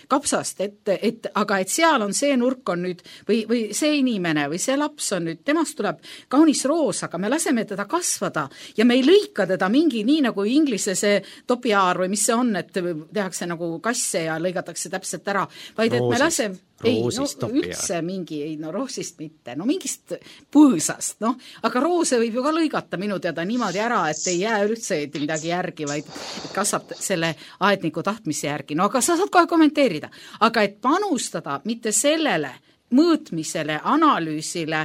kapsast, et, et, aga et seal on see nurk on nüüd, või, või see inimene või see laps on nüüd, temast tuleb kaunis roos, aga me laseme teda kasvada ja me ei lõika teda mingi, nii nagu inglise see topiaar või mis see on, et tehakse nagu kasse ja lõigatakse täpselt ära, vaid et Roosist. me laseme ei, no üldse mingi, ei no roosist mitte, no mingist põõsast, noh, aga roose võib ju ka lõigata minu teada niimoodi ära, et ei jää üldse midagi järgi, vaid kasvab selle aedniku tahtmise järgi, no aga sa saad kohe kommenteerida, aga et panustada mitte sellele mõõtmisele, analüüsile,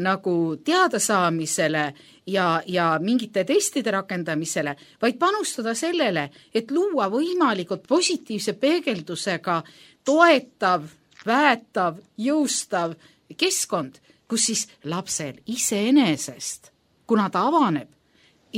nagu teadasaamisele ja, ja mingite testide rakendamisele, vaid panustada sellele, et luua võimalikult positiivse peegeldusega toetav, väetav, jõustav keskkond, kus siis lapsel iseenesest, kuna ta avaneb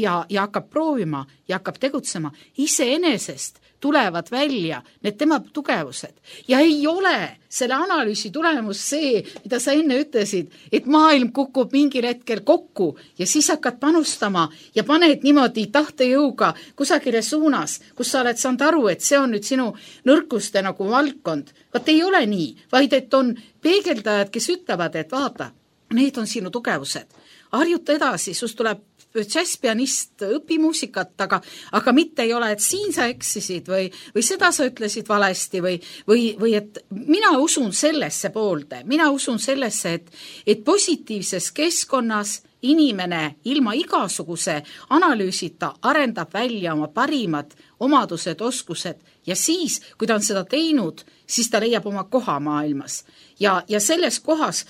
ja, ja hakkab proovima ja hakkab tegutsema, iseenesest tulevad välja need tema tugevused. Ja ei ole selle analüüsi tulemus see, mida sa enne ütlesid, et maailm kukub mingil hetkel kokku ja siis hakkad panustama ja paned niimoodi tahtejõuga kusagile suunas, kus sa oled saanud aru, et see on nüüd sinu nõrkuste nagu valdkond. Vaat ei ole nii, vaid et on peegeldajad, kes ütlevad, et vaata, need on sinu tugevused. Harjuta edasi, sus tuleb džässpianist, õpi muusikat, aga, aga mitte ei ole, et siin sa eksisid või, või seda sa ütlesid valesti või, või, või et mina usun sellesse poolde, mina usun sellesse, et, et positiivses keskkonnas inimene ilma igasuguse analüüsita arendab välja oma parimad omadused, oskused ja siis, kui ta on seda teinud, siis ta leiab oma koha maailmas. Ja, ja selles kohas,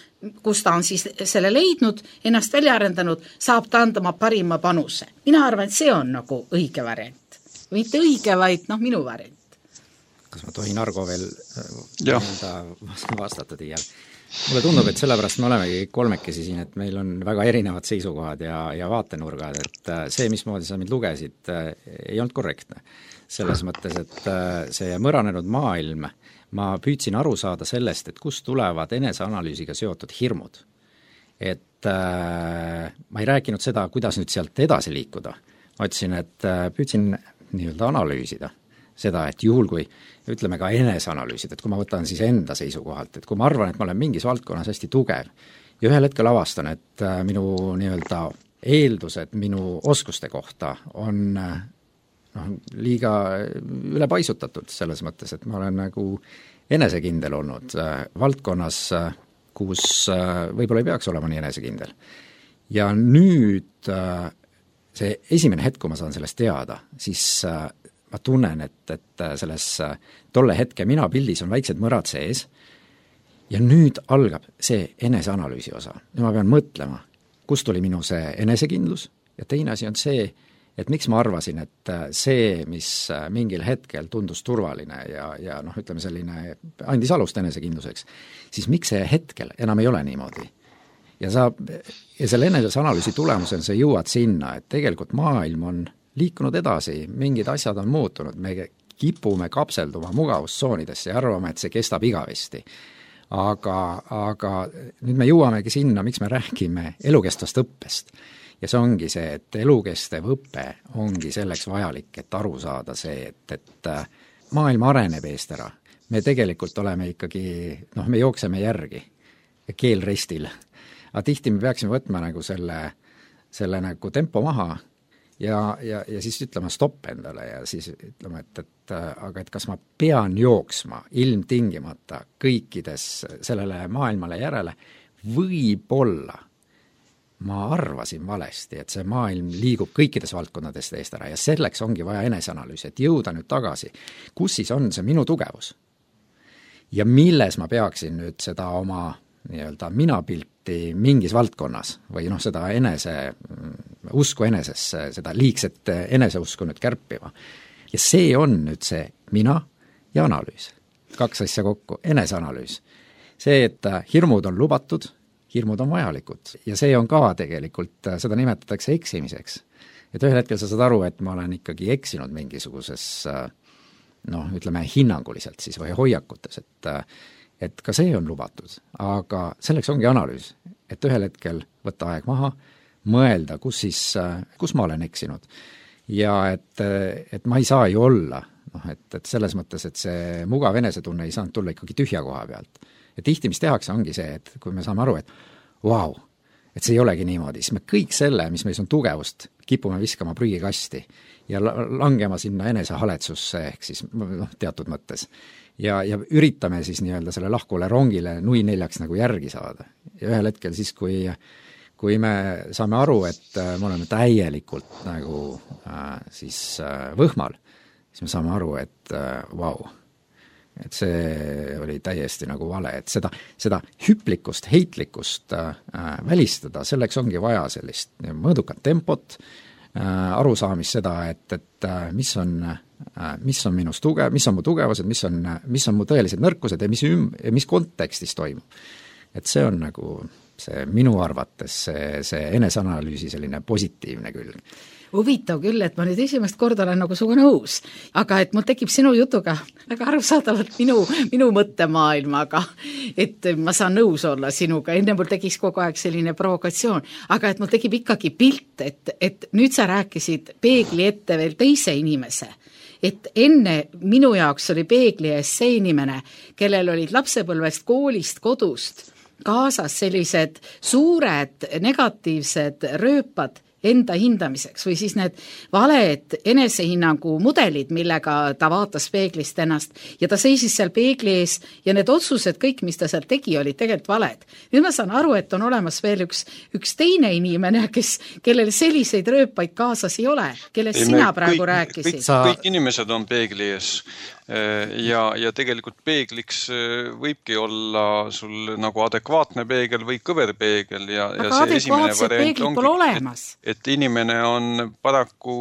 kus ta on siis selle leidnud, ennast välja arendanud, saab ta anda oma parima panuse. Mina arvan, et see on nagu õige variant. Mitte õige, vaid noh, minu variant. Kas ma tohin Argo veel vastata tiial? Mulle tundub, et sellepärast me olemegi kolmekesi siin, et meil on väga erinevad seisukohad ja, ja vaatenurgad, et see, mismoodi sa mind lugesid, ei olnud korrektne. Selles mõttes, et see mõranenud maailm, ma püüdsin aru saada sellest, et kust tulevad eneseanalüüsiga seotud hirmud. Et äh, ma ei rääkinud seda, kuidas nüüd sealt edasi liikuda. Ma ütlesin, et äh, püüdsin nii-öelda analüüsida seda, et juhul kui, ütleme ka eneseanalüüsid, et kui ma võtan siis enda seisukohalt, et kui ma arvan, et ma olen mingis valdkonnas hästi tugev ja ühel hetkel avastan, et äh, minu nii-öelda eeldused minu oskuste kohta on äh, noh, liiga ülepaisutatud selles mõttes, et ma olen nagu enesekindel olnud äh, valdkonnas, äh, kus äh, võib-olla ei peaks olema nii enesekindel. Ja nüüd äh, see esimene hetk, kui ma saan sellest teada, siis äh, ma tunnen, et, et selles äh, tolle hetke mina pildis on väiksed mõrad sees ja nüüd algab see eneseanalüüsi osa. Ja ma pean mõtlema, kust tuli minu see enesekindlus ja teine asi on see, et miks ma arvasin, et see, mis mingil hetkel tundus turvaline ja, ja noh, ütleme selline, andis alust enesekindluseks, siis miks see hetkel enam ei ole niimoodi? Ja, sa, ja selle eneseanalüüsi tulemusel sa jõuad sinna, et tegelikult maailm on liikunud edasi, mingid asjad on muutunud, me kipume kapselduma mugavustsoonidesse ja arvame, et see kestab igavesti. Aga, aga nüüd me jõuamegi sinna, miks me räägime elukestvast õppest. Ja see ongi see, et elukestev õpe ongi selleks vajalik, et aru saada see, et, et maailm areneb eest ära. Me tegelikult oleme ikkagi, noh, me jookseme järgi keel restil. Aga tihti me peaksime võtma nagu selle, selle nagu tempo maha ja, ja, ja siis ütlema stopp endale ja siis ütlema, et, et aga et kas ma pean jooksma ilmtingimata kõikides sellele maailmale järele, võib-olla ma arvasin valesti, et see maailm liigub kõikides valdkondades eest ära ja selleks ongi vaja eneseanalüüsi, et jõuda nüüd tagasi, kus siis on see minu tugevus ja milles ma peaksin nüüd seda oma nii-öelda minapilti mingis valdkonnas või noh, seda enese, usku enesesse, seda liigset eneseusku nüüd kärpima. Ja see on nüüd see mina ja analüüs. Kaks asja kokku, eneseanalüüs. See, et hirmud on lubatud, hirmud on vajalikud ja see on ka tegelikult, seda nimetatakse eksimiseks. Et ühel hetkel sa saad aru, et ma olen ikkagi eksinud mingisuguses noh, ütleme hinnanguliselt siis või hoiakutes, et et ka see on lubatud, aga selleks ongi analüüs, et ühel hetkel võtta aeg maha, mõelda, kus siis, kus ma olen eksinud ja et, et ma ei saa ju olla, noh, et, et selles mõttes, et see mugav enesetunne ei saanud tulla ikkagi tühja koha pealt. Ja tihti, mis tehakse, ongi see, et kui me saame aru, et vau, et see ei olegi niimoodi, siis me kõik selle, mis meis on tugevust, kipume viskama prügikasti ja langema sinna enesehaletsusse ehk siis noh, teatud mõttes. Ja, ja üritame siis nii-öelda selle lahkule rongile nui neljaks nagu järgi saada. Ja ühel hetkel siis, kui, kui me saame aru, et me oleme täielikult nagu äh, siis äh, võhmal, siis me saame aru, et äh, vau, et see oli täiesti nagu vale, et seda, seda hüplikust, heitlikust äh, välistada, selleks ongi vaja sellist mõõdukat tempot, äh, arusaamist seda, et, et äh, mis on mis on minus tugev, mis on mu tugevused, mis on, mis on mu tõelised nõrkused ja mis, üm, ja mis kontekstis toimub. Et see on nagu see minu arvates see, see eneseanalüüsi selline positiivne külg. huvitav küll, et ma nüüd esimest korda olen nagu suga nõus, aga et mul tekib sinu jutuga väga arusaadavalt minu, minu mõttemaailmaga, et ma saan nõus olla sinuga, enne mul tekiks kogu aeg selline provokatsioon, aga et mul tekib ikkagi pilt, et, et nüüd sa rääkisid peegli ette veel teise inimese, et enne minu jaoks oli peegli ees see inimene, kellel olid lapsepõlvest, koolist, kodust kaasas sellised suured negatiivsed rööpad enda hindamiseks või siis need valed enesehinnangu mudelid, millega ta vaatas peeglist ennast ja ta seisis seal peegli ees ja need otsused, kõik, mis ta seal tegi, olid tegelikult valed. Nüüd ma saan aru, et on olemas veel üks, üks teine inimene, kes, kellel selliseid rööpaid kaasas ei ole, kellest ei, sina praegu kõik, rääkisid. Kõik, sa... kõik inimesed on peegli ees ja, ja tegelikult peegliks võibki olla sul nagu adekvaatne peegel või kõver peegel ja, ja see esimene variant ongi, et, et inimene on paraku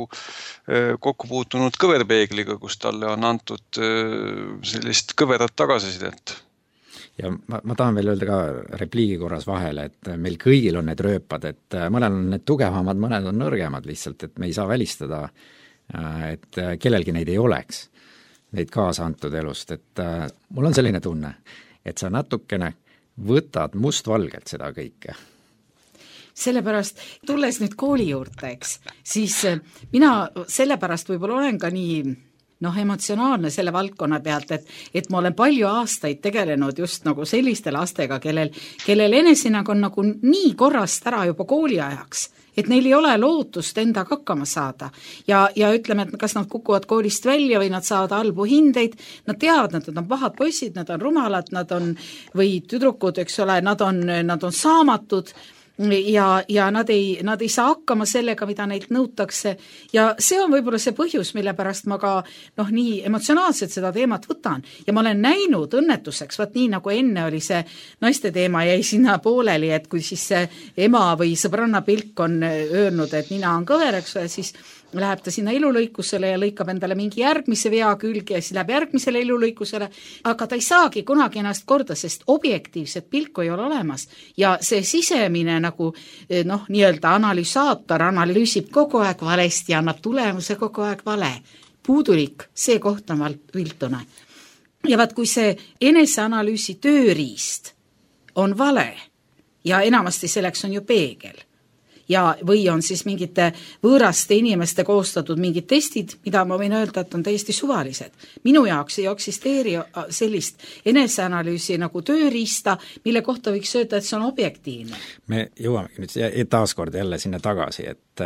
kokku puutunud kõverpeegliga, kus talle on antud sellist kõverat tagasisidet. Ja ma, ma tahan veel öelda ka repliigi korras vahele, et meil kõigil on need rööpad, et mõnel on need tugevamad, mõned on nõrgemad lihtsalt, et me ei saa välistada, et kellelgi neid ei oleks, neid kaasa antud elust, et äh, mul on selline tunne, et sa natukene võtad mustvalgelt seda kõike. Sellepärast, tulles nüüd kooli juurde, eks, siis mina sellepärast võib-olla olen ka nii noh, emotsionaalne selle valdkonna pealt, et, et ma olen palju aastaid tegelenud just nagu selliste lastega, kellel, kellel enesinag on nagu nii korrast ära juba kooli ajaks, et neil ei ole lootust endaga hakkama saada. Ja, ja ütleme, et kas nad kukuvad koolist välja või nad saavad halbu hindeid, nad teavad, nad on pahad poisid, nad on rumalad, nad on, või tüdrukud, eks ole, nad on, nad on saamatud, ja, ja nad ei, nad ei saa hakkama sellega, mida neilt nõutakse ja see on võib-olla see põhjus, mille pärast ma ka noh, nii emotsionaalselt seda teemat võtan ja ma olen näinud õnnetuseks, vaat nii nagu enne oli see naiste teema jäi sinna pooleli, et kui siis see ema või sõbranna pilk on öelnud, et nina on kõver, eks ole, siis läheb ta sinna elulõikusele ja lõikab endale mingi järgmise vea külge ja siis läheb järgmisele elulõikusele, aga ta ei saagi kunagi ennast korda, sest objektiivset pilku ei ole olemas ja see sisemine nagu noh, nii-öelda analüsaator analüüsib kogu aeg valesti ja annab tulemuse kogu aeg vale. Puudulik, see koht on viltune. Ja vaat kui see eneseanalüüsi tööriist on vale ja enamasti selleks on ju peegel, ja või on siis mingite võõraste inimeste koostatud mingid testid, mida ma võin öelda, et on täiesti suvalised. Minu jaoks ei eksisteeri sellist eneseanalüüsi nagu tööriista, mille kohta võiks öelda, et see on objektiivne. Me jõuamegi nüüd taaskord jälle sinna tagasi, et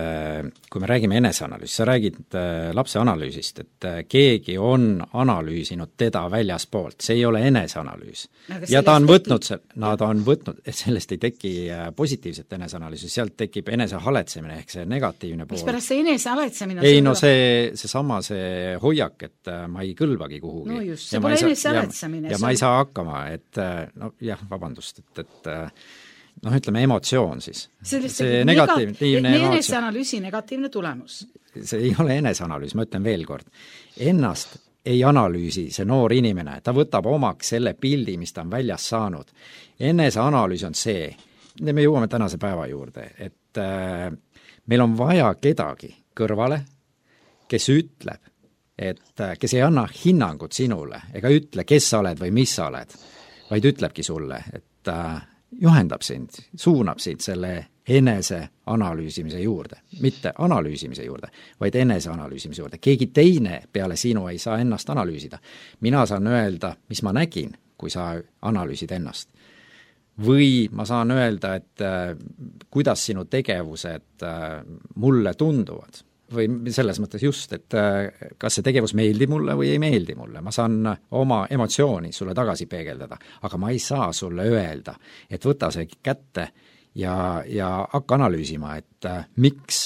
kui me räägime eneseanalüüsi, sa räägid lapse analüüsist, et keegi on analüüsinud teda väljaspoolt, see ei ole eneseanalüüs. Ja ta on võtnud, nad on võtnud, et sellest ei teki positiivset eneseanalüüsi, sealt tekib enese haletsemine ehk see negatiivne pool. Mis pärast see enese haletsemine? Ei, no see, see sama see hoiak, et ma ei kõlbagi kuhugi. No just, see pole enese haletsemine. Ja, ja ma ei saa hakkama, et no jah, vabandust, et, et noh, ütleme emotsioon siis. Sellest see negatiivne emotsioon. Eneseanalüüsi negatiivne tulemus. See ei ole eneseanalüüs, ma ütlen veel kord. Ennast ei analüüsi see noor inimene, ta võtab omaks selle pildi, mis ta on väljas saanud. Eneseanalüüs on see, me jõuame tänase päeva juurde, et äh, meil on vaja kedagi kõrvale, kes ütleb, et äh, kes ei anna hinnangut sinule, ega ütle, kes sa oled või mis sa oled, vaid ütlebki sulle, et äh, juhendab sind, suunab sind selle enese analüüsimise juurde, mitte analüüsimise juurde, vaid enese analüüsimise juurde. Keegi teine peale sinu ei saa ennast analüüsida. Mina saan öelda, mis ma nägin, kui sa analüüsid ennast. Või ma saan öelda, et äh, kuidas sinu tegevused äh, mulle tunduvad. Või selles mõttes just, et äh, kas see tegevus meeldib mulle või ei meeldi mulle. Ma saan oma emotsiooni sulle tagasi peegeldada, aga ma ei saa sulle öelda, et võta see kätte ja, ja hakka analüüsima, et äh, miks,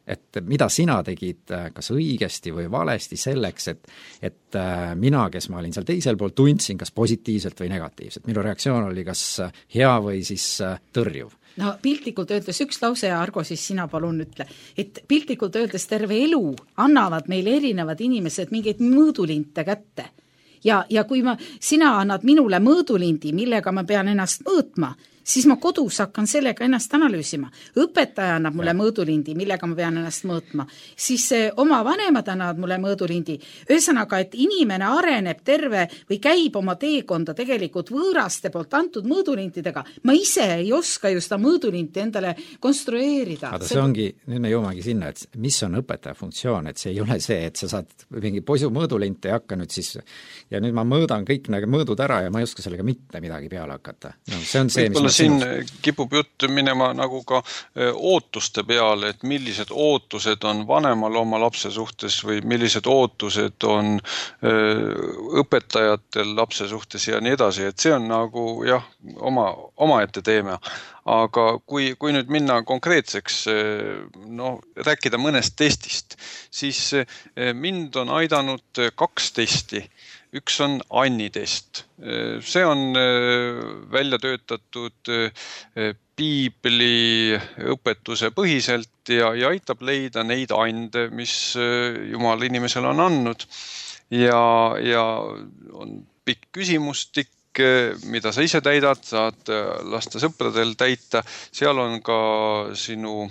et mida sina tegid kas õigesti või valesti selleks, et, et äh, mina, kes ma olin seal teisel pool, tundsin kas positiivselt või negatiivselt. Minu reaktsioon oli kas hea või siis äh, tõrjuv. No piltlikult öeldes üks lause ja Argo siis sina palun ütle, et piltlikult öeldes terve elu annavad meile erinevad inimesed mingeid mõõdulinte kätte. Ja, ja kui ma, sina annad minule mõõdulindi, millega ma pean ennast mõõtma, siis ma kodus hakkan sellega ennast analüüsima. Õpetaja annab mulle mõõdulindi, millega ma pean ennast mõõtma. Siis oma vanemad annavad mulle mõõdulindi. Ühesõnaga, et inimene areneb terve või käib oma teekonda tegelikult võõraste poolt antud mõõdulintidega. Ma ise ei oska ju seda mõõdulinti endale konstrueerida. Aga see ongi, nüüd me jõumagi sinna, et mis on õpetaja funktsioon, et see ei ole see, et sa saad mingi poisu mõõdulinte ja hakka nüüd siis ja nüüd ma mõõdan kõik nagu mõõdud ära ja ma ei oska sellega mitte midagi peale hakata. No, see on see, Võibolla mis siin sinus... kipub jutt minema nagu ka ootuste peale, et millised ootused on vanemal oma lapse suhtes või millised ootused on õpetajatel lapse suhtes ja nii edasi, et see on nagu jah, oma, oma ette teeme. Aga kui, kui nüüd minna konkreetseks, no, rääkida mõnest testist, siis mind on aidanud kaks testi. Üks on Anni test. See on välja töötatud piibli õpetuse põhiselt ja, ja aitab leida neid ande, mis Jumal inimesele on andnud. Ja, ja on pikk küsimustik, mida sa ise täidad, saad lasta sõpradel täita. Seal on ka sinu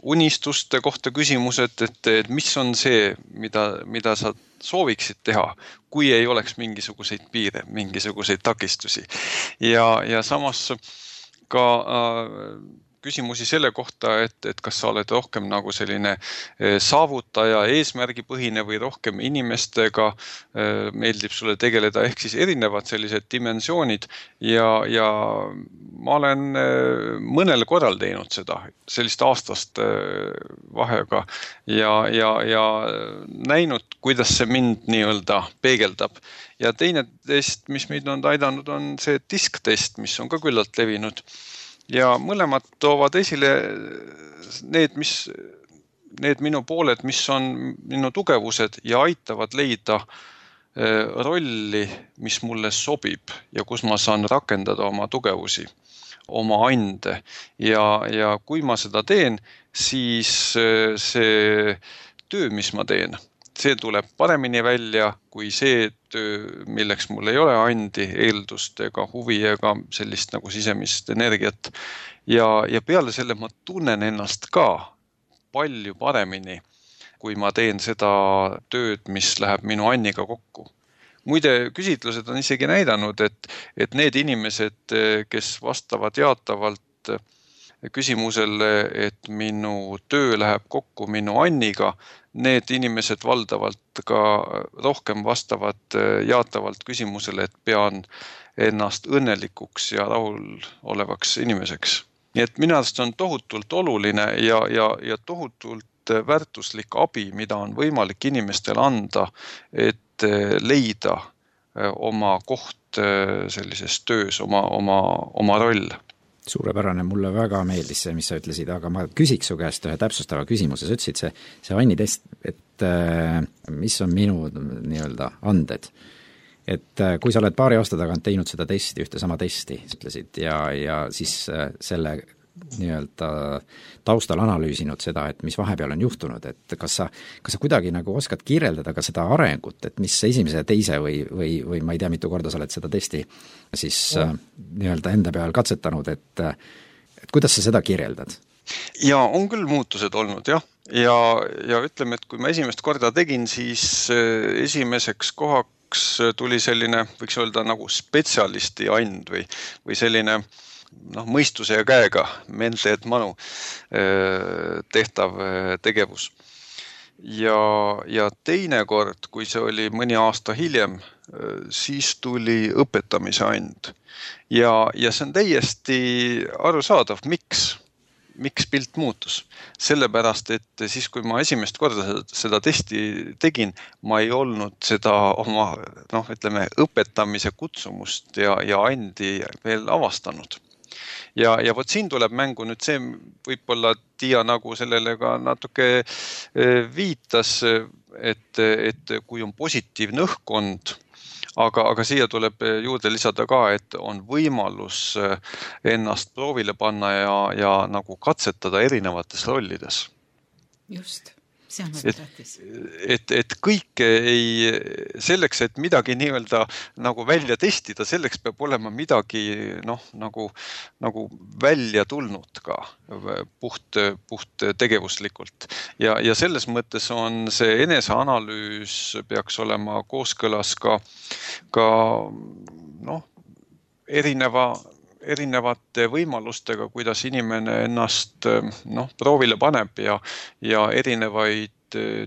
unistuste kohta küsimused, et, et mis on see, mida, mida sa sooviksid teha, kui ei oleks mingisuguseid piire, mingisuguseid takistusi. Ja, ja samas ka äh, küsimusi selle kohta, et, et kas sa oled rohkem nagu selline saavutaja, eesmärgipõhine või rohkem inimestega meeldib sulle tegeleda, ehk siis erinevad sellised dimensioonid ja, ja ma olen mõnel korral teinud seda, sellist aastast vahega ja, ja, ja näinud, kuidas see mind nii-öelda peegeldab. Ja teine test, mis meid on aidanud, on see disktest, mis on ka küllalt levinud. Ja mõlemad toovad esile need, mis, need minu pooled, mis on minu tugevused ja aitavad leida rolli, mis mulle sobib ja kus ma saan rakendada oma tugevusi, oma ande. Ja, ja kui ma seda teen, siis see töö, mis ma teen, see tuleb paremini välja kui see töö, milleks mul ei ole andi, eeldust ega huvi ega sellist nagu sisemist energiat. Ja, ja peale selle ma tunnen ennast ka palju paremini, kui ma teen seda tööd, mis läheb minu Anniga kokku. Muide, küsitlused on isegi näidanud, et, et need inimesed, kes vastavad jaatavalt küsimusele, et minu töö läheb kokku minu Anniga, need inimesed valdavalt ka rohkem vastavad jaatavalt küsimusele, et pean ennast õnnelikuks ja rahul olevaks inimeseks. Nii et minu arust on tohutult oluline ja, ja, ja tohutult väärtuslik abi, mida on võimalik inimestele anda, et leida oma koht sellises töös, oma, oma, oma roll. Suurepärane, mulle väga meeldis see, mis sa ütlesid, aga ma küsiks su käest ühe täpsustava küsimuse. Sa ütlesid see, see Anni test, et mis on minu nii-öelda anded. Et kui sa oled paari aasta tagant teinud seda testi, ühte sama testi, ütlesid, ja, ja siis selle nii-öelda taustal analüüsinud seda, et mis vahepeal on juhtunud, et kas sa, kas sa kuidagi nagu oskad kirjeldada ka seda arengut, et mis esimese ja teise või, või, või ma ei tea, mitu korda sa oled seda testi siis ja. nii-öelda enda peal katsetanud, et, et kuidas sa seda kirjeldad? Ja on küll muutused olnud, jah. Ja, ja ütleme, et kui ma esimest korda tegin, siis esimeseks kohaks tuli selline, võiks öelda nagu spetsialisti and või, või selline noh, mõistuse ja käega, mente et manu tehtav tegevus. Ja, ja teine kord, kui see oli mõni aasta hiljem, siis tuli õpetamise and. Ja, ja see on täiesti arusaadav, miks? Miks pilt muutus? Sellepärast, et siis, kui ma esimest korda seda testi tegin, ma ei olnud seda oma, noh, ütleme, õpetamise kutsumust ja, ja andi veel avastanud. Ja, ja võt siin tuleb mängu nüüd see, võib-olla Tiia nagu sellele ka natuke viitas, et, et kui on positiivne õhkkond, aga, aga siia tuleb juurde lisada ka, et on võimalus ennast proovile panna ja, ja nagu katsetada erinevates rollides. Just. see on väga tähtis. Et, et kõike ei, selleks, et midagi nii-öelda nagu välja testida, selleks peab olema midagi noh, nagu, nagu välja tulnud ka puht, puht tegevuslikult. Ja, ja selles mõttes on see eneseanalüüs peaks olema kooskõlas ka, ka noh, erineva erinevate võimalustega, kuidas inimene ennast noh, proovile paneb ja, ja erinevaid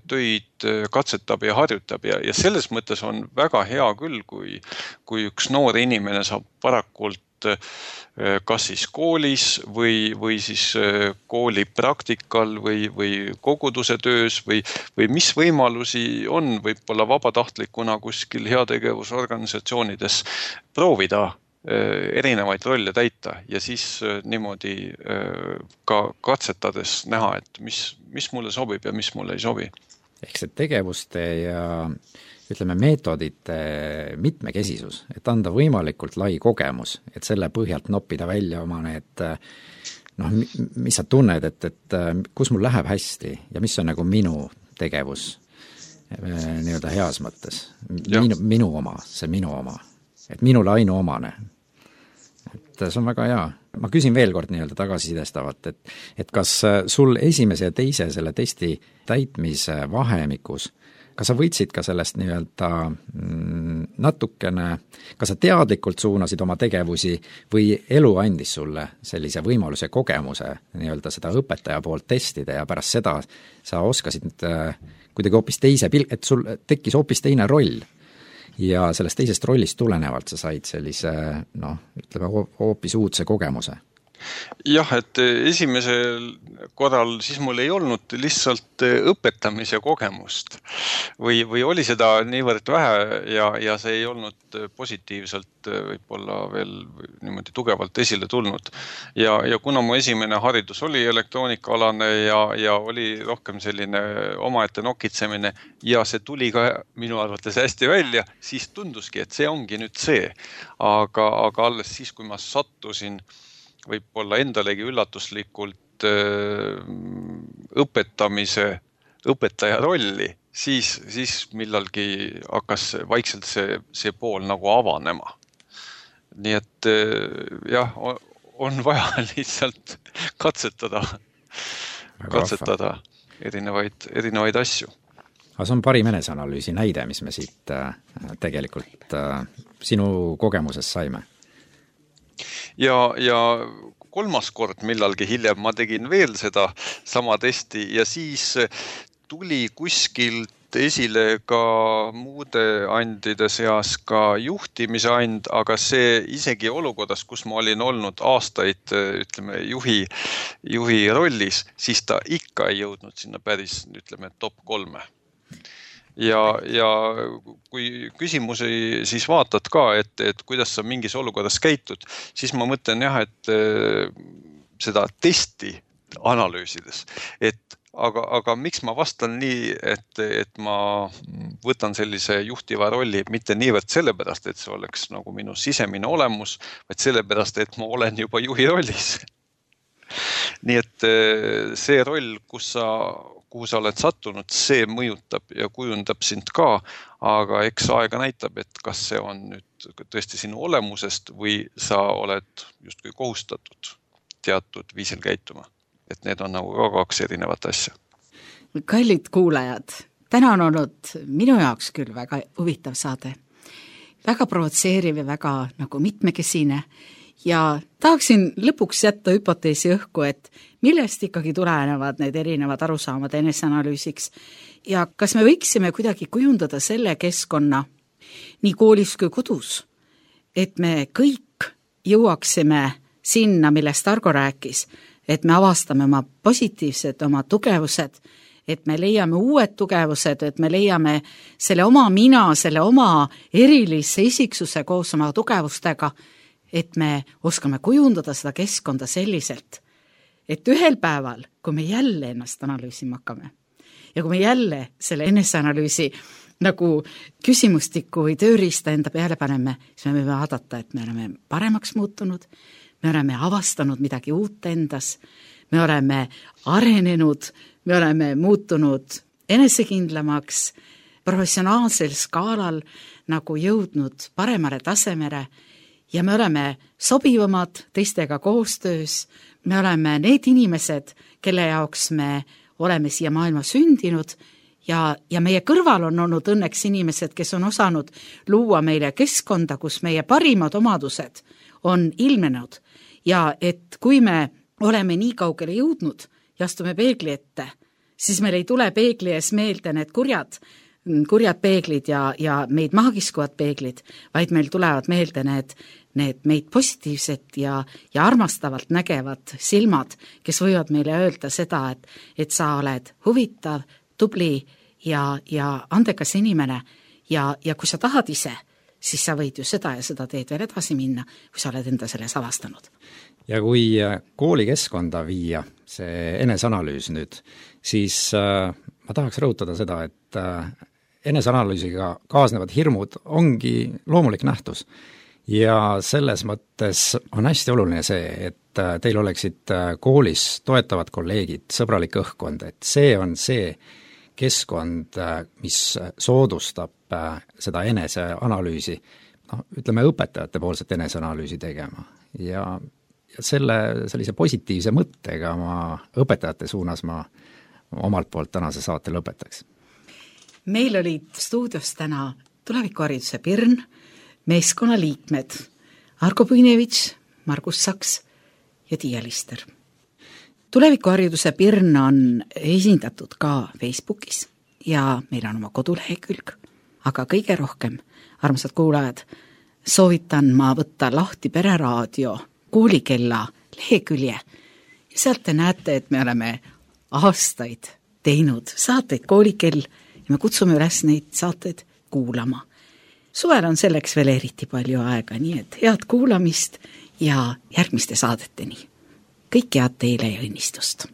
töid katsetab ja harjutab ja, ja selles mõttes on väga hea küll, kui, kui üks noor inimene saab varakult kas siis koolis või, või siis kooli praktikal või, või koguduse töös või, või mis võimalusi on võib-olla vabatahtlikuna kuskil heategevusorganisatsioonides proovida erinevaid rolle täita ja siis niimoodi ka katsetades näha, et mis, mis mulle sobib ja mis mulle ei sobi. Ehk see tegevuste ja ütleme meetodite mitmekesisus, et anda võimalikult lai kogemus, et selle põhjalt noppida välja oma need noh, mis sa tunned, et, et kus mul läheb hästi ja mis on nagu minu tegevus nii-öelda heas mõttes. Minu, minu oma, see minu oma. Et minule ainuomane. Et see on väga hea. Ma küsin veel kord nii-öelda tagasisidestavat, et, et kas sul esimese ja teise selle testi täitmise vahemikus, kas sa võtsid ka sellest nii-öelda natukene, kas sa teadlikult suunasid oma tegevusi või elu andis sulle sellise võimaluse kogemuse nii-öelda seda õpetaja poolt testida ja pärast seda sa oskasid kuidagi hoopis teise, et sul tekkis hoopis teine roll ja sellest teisest rollist tulenevalt sa said sellise, noh, ütleme hoopis uudse kogemuse? Jah, et esimesel korral siis mul ei olnud lihtsalt õpetamise kogemust või, või oli seda niivõrd vähe ja, ja see ei olnud positiivselt võib-olla veel niimoodi tugevalt esile tulnud. Ja, ja kuna mu esimene haridus oli elektroonikaalane ja, ja oli rohkem selline omaette nokitsemine ja see tuli ka minu arvates hästi välja, siis tunduski, et see ongi nüüd see. Aga, aga alles siis, kui ma sattusin võib-olla endalegi üllatuslikult õpetamise, õpetaja rolli, siis, siis millalgi hakkas vaikselt see, see pool nagu avanema. Nii et jah, on vaja lihtsalt katsetada, katsetada erinevaid, erinevaid asju. Aga see on parim eneseanalüüsi näide, mis me siit tegelikult sinu kogemuses saime. Ja, ja kolmas kord millalgi hiljem ma tegin veel seda sama testi ja siis tuli kuskilt esile ka muude andide seas ka juhtimise and, aga see isegi olukorras, kus ma olin olnud aastaid, ütleme, juhi, juhi rollis, siis ta ikka ei jõudnud sinna päris, ütleme, top kolme. Ja, ja kui küsimusi siis vaatad ka, et, et kuidas sa mingis olukorras käitud, siis ma mõtlen jah, et seda testi analüüsides, et aga, aga miks ma vastan nii, et, et ma võtan sellise juhtiva rolli mitte niivõrd sellepärast, et see oleks nagu minu sisemine olemus, vaid sellepärast, et ma olen juba juhi rollis. Nii et see roll, kus sa kuhu sa oled sattunud, see mõjutab ja kujundab sind ka, aga eks aega näitab, et kas see on nüüd tõesti sinu olemusest või sa oled justkui kohustatud teatud viisil käituma. Et need on nagu ka kaks erinevat asja. Kallid kuulajad, täna on olnud minu jaoks küll väga huvitav saade. Väga provotseeriv ja väga nagu mitmekesine. Ja tahaksin lõpuks jätta hüpoteesi õhku, et millest ikkagi tulenevad need erinevad arusaamad eneseanalüüsiks ja kas me võiksime kuidagi kujundada selle keskkonna nii koolis kui kodus, et me kõik jõuaksime sinna, millest Argo rääkis, et me avastame oma positiivsed, oma tugevused, et me leiame uued tugevused, et me leiame selle oma mina, selle oma erilise isiksuse koos oma tugevustega, et me oskame kujundada seda keskkonda selliselt, et ühel päeval, kui me jälle ennast analüüsima hakkame ja kui me jälle selle eneseanalüüsi nagu küsimustiku või tööriista enda peale paneme, siis me võime vaadata, et me oleme paremaks muutunud, me oleme avastanud midagi uut endas, me oleme arenenud, me oleme muutunud enesekindlamaks, professionaalsel skaalal nagu jõudnud paremale tasemele ja me oleme sobivamad teistega koostöös, me oleme need inimesed, kelle jaoks me oleme siia maailma sündinud ja, ja meie kõrval on olnud õnneks inimesed, kes on osanud luua meile keskkonda, kus meie parimad omadused on ilmenud ja et kui me oleme nii kaugele jõudnud ja astume peegli ette, siis meil ei tule peegli ees meelde need kurjad, kurjad peeglid ja, ja meid maakiskuvad peeglid, vaid meil tulevad meelde need, need meid positiivsed ja, ja armastavalt nägevad silmad, kes võivad meile öelda seda, et, et sa oled huvitav, tubli ja, ja andekas inimene ja, ja kui sa tahad ise, siis sa võid ju seda ja seda teed veel edasi minna, kui sa oled enda selles avastanud. Ja kui koolikeskkonda viia see eneseanalüüs nüüd, siis äh, ma tahaks rõhutada seda, et äh, eneseanalüüsiga kaasnevad hirmud ongi loomulik nähtus. Ja selles mõttes on hästi oluline see, et teil oleksid koolis toetavad kolleegid, sõbralik õhkkond, et see on see keskkond, mis soodustab seda eneseanalüüsi, noh, ütleme õpetajate poolset eneseanalüüsi tegema. Ja, ja selle sellise positiivse mõttega ma õpetajate suunas ma omalt poolt tänase saate lõpetaks. Meil olid stuudios täna tulevikuhariduse Pirn, meeskonna liikmed Argo Puinevitš, Margus Saks ja Tiia Lister. Tulevikuhariduse Pirn on esindatud ka Facebookis ja meil on oma kodulehekülg, aga kõige rohkem, armsad kuulajad, soovitan ma võtta lahti Pereraadio koolikella lehekülje ja sealt te näete, et me oleme aastaid teinud saateid Koolikell ja me kutsume üles neid saateid kuulama. Suvel on selleks veel eriti palju aega, nii et head kuulamist ja järgmiste saadeteni. Kõik head teile ja õnnistust!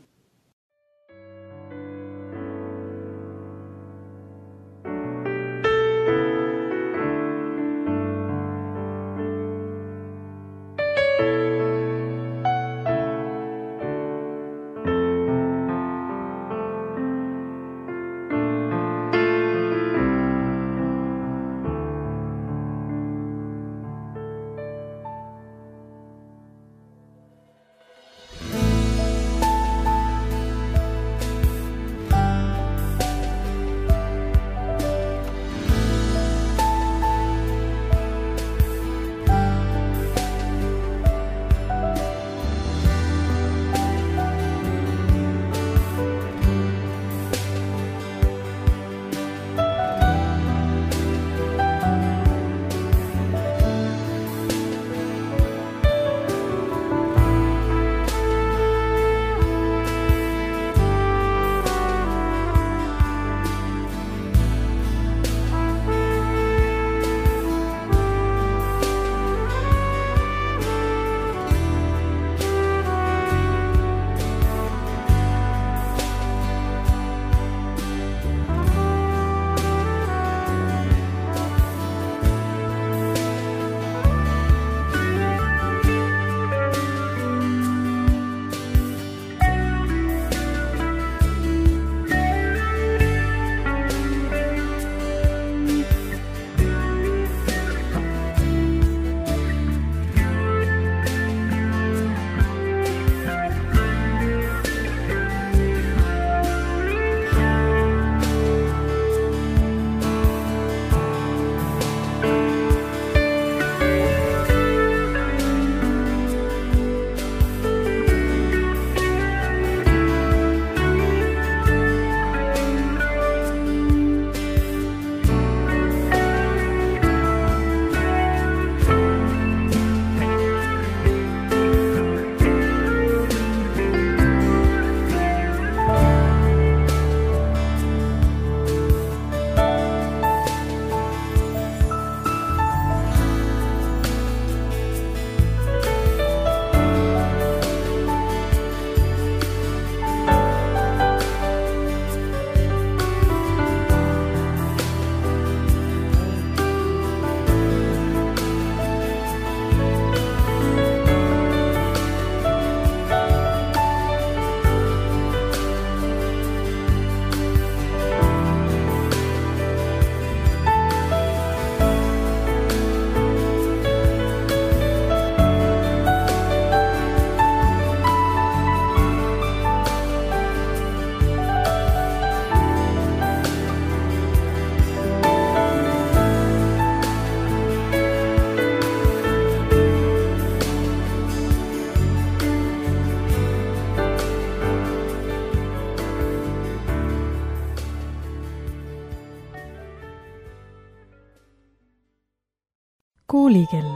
Koolikell.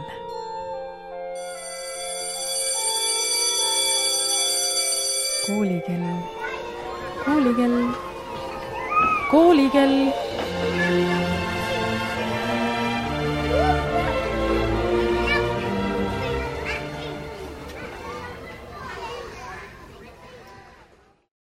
Koolikell. Koolikell. Koolikell.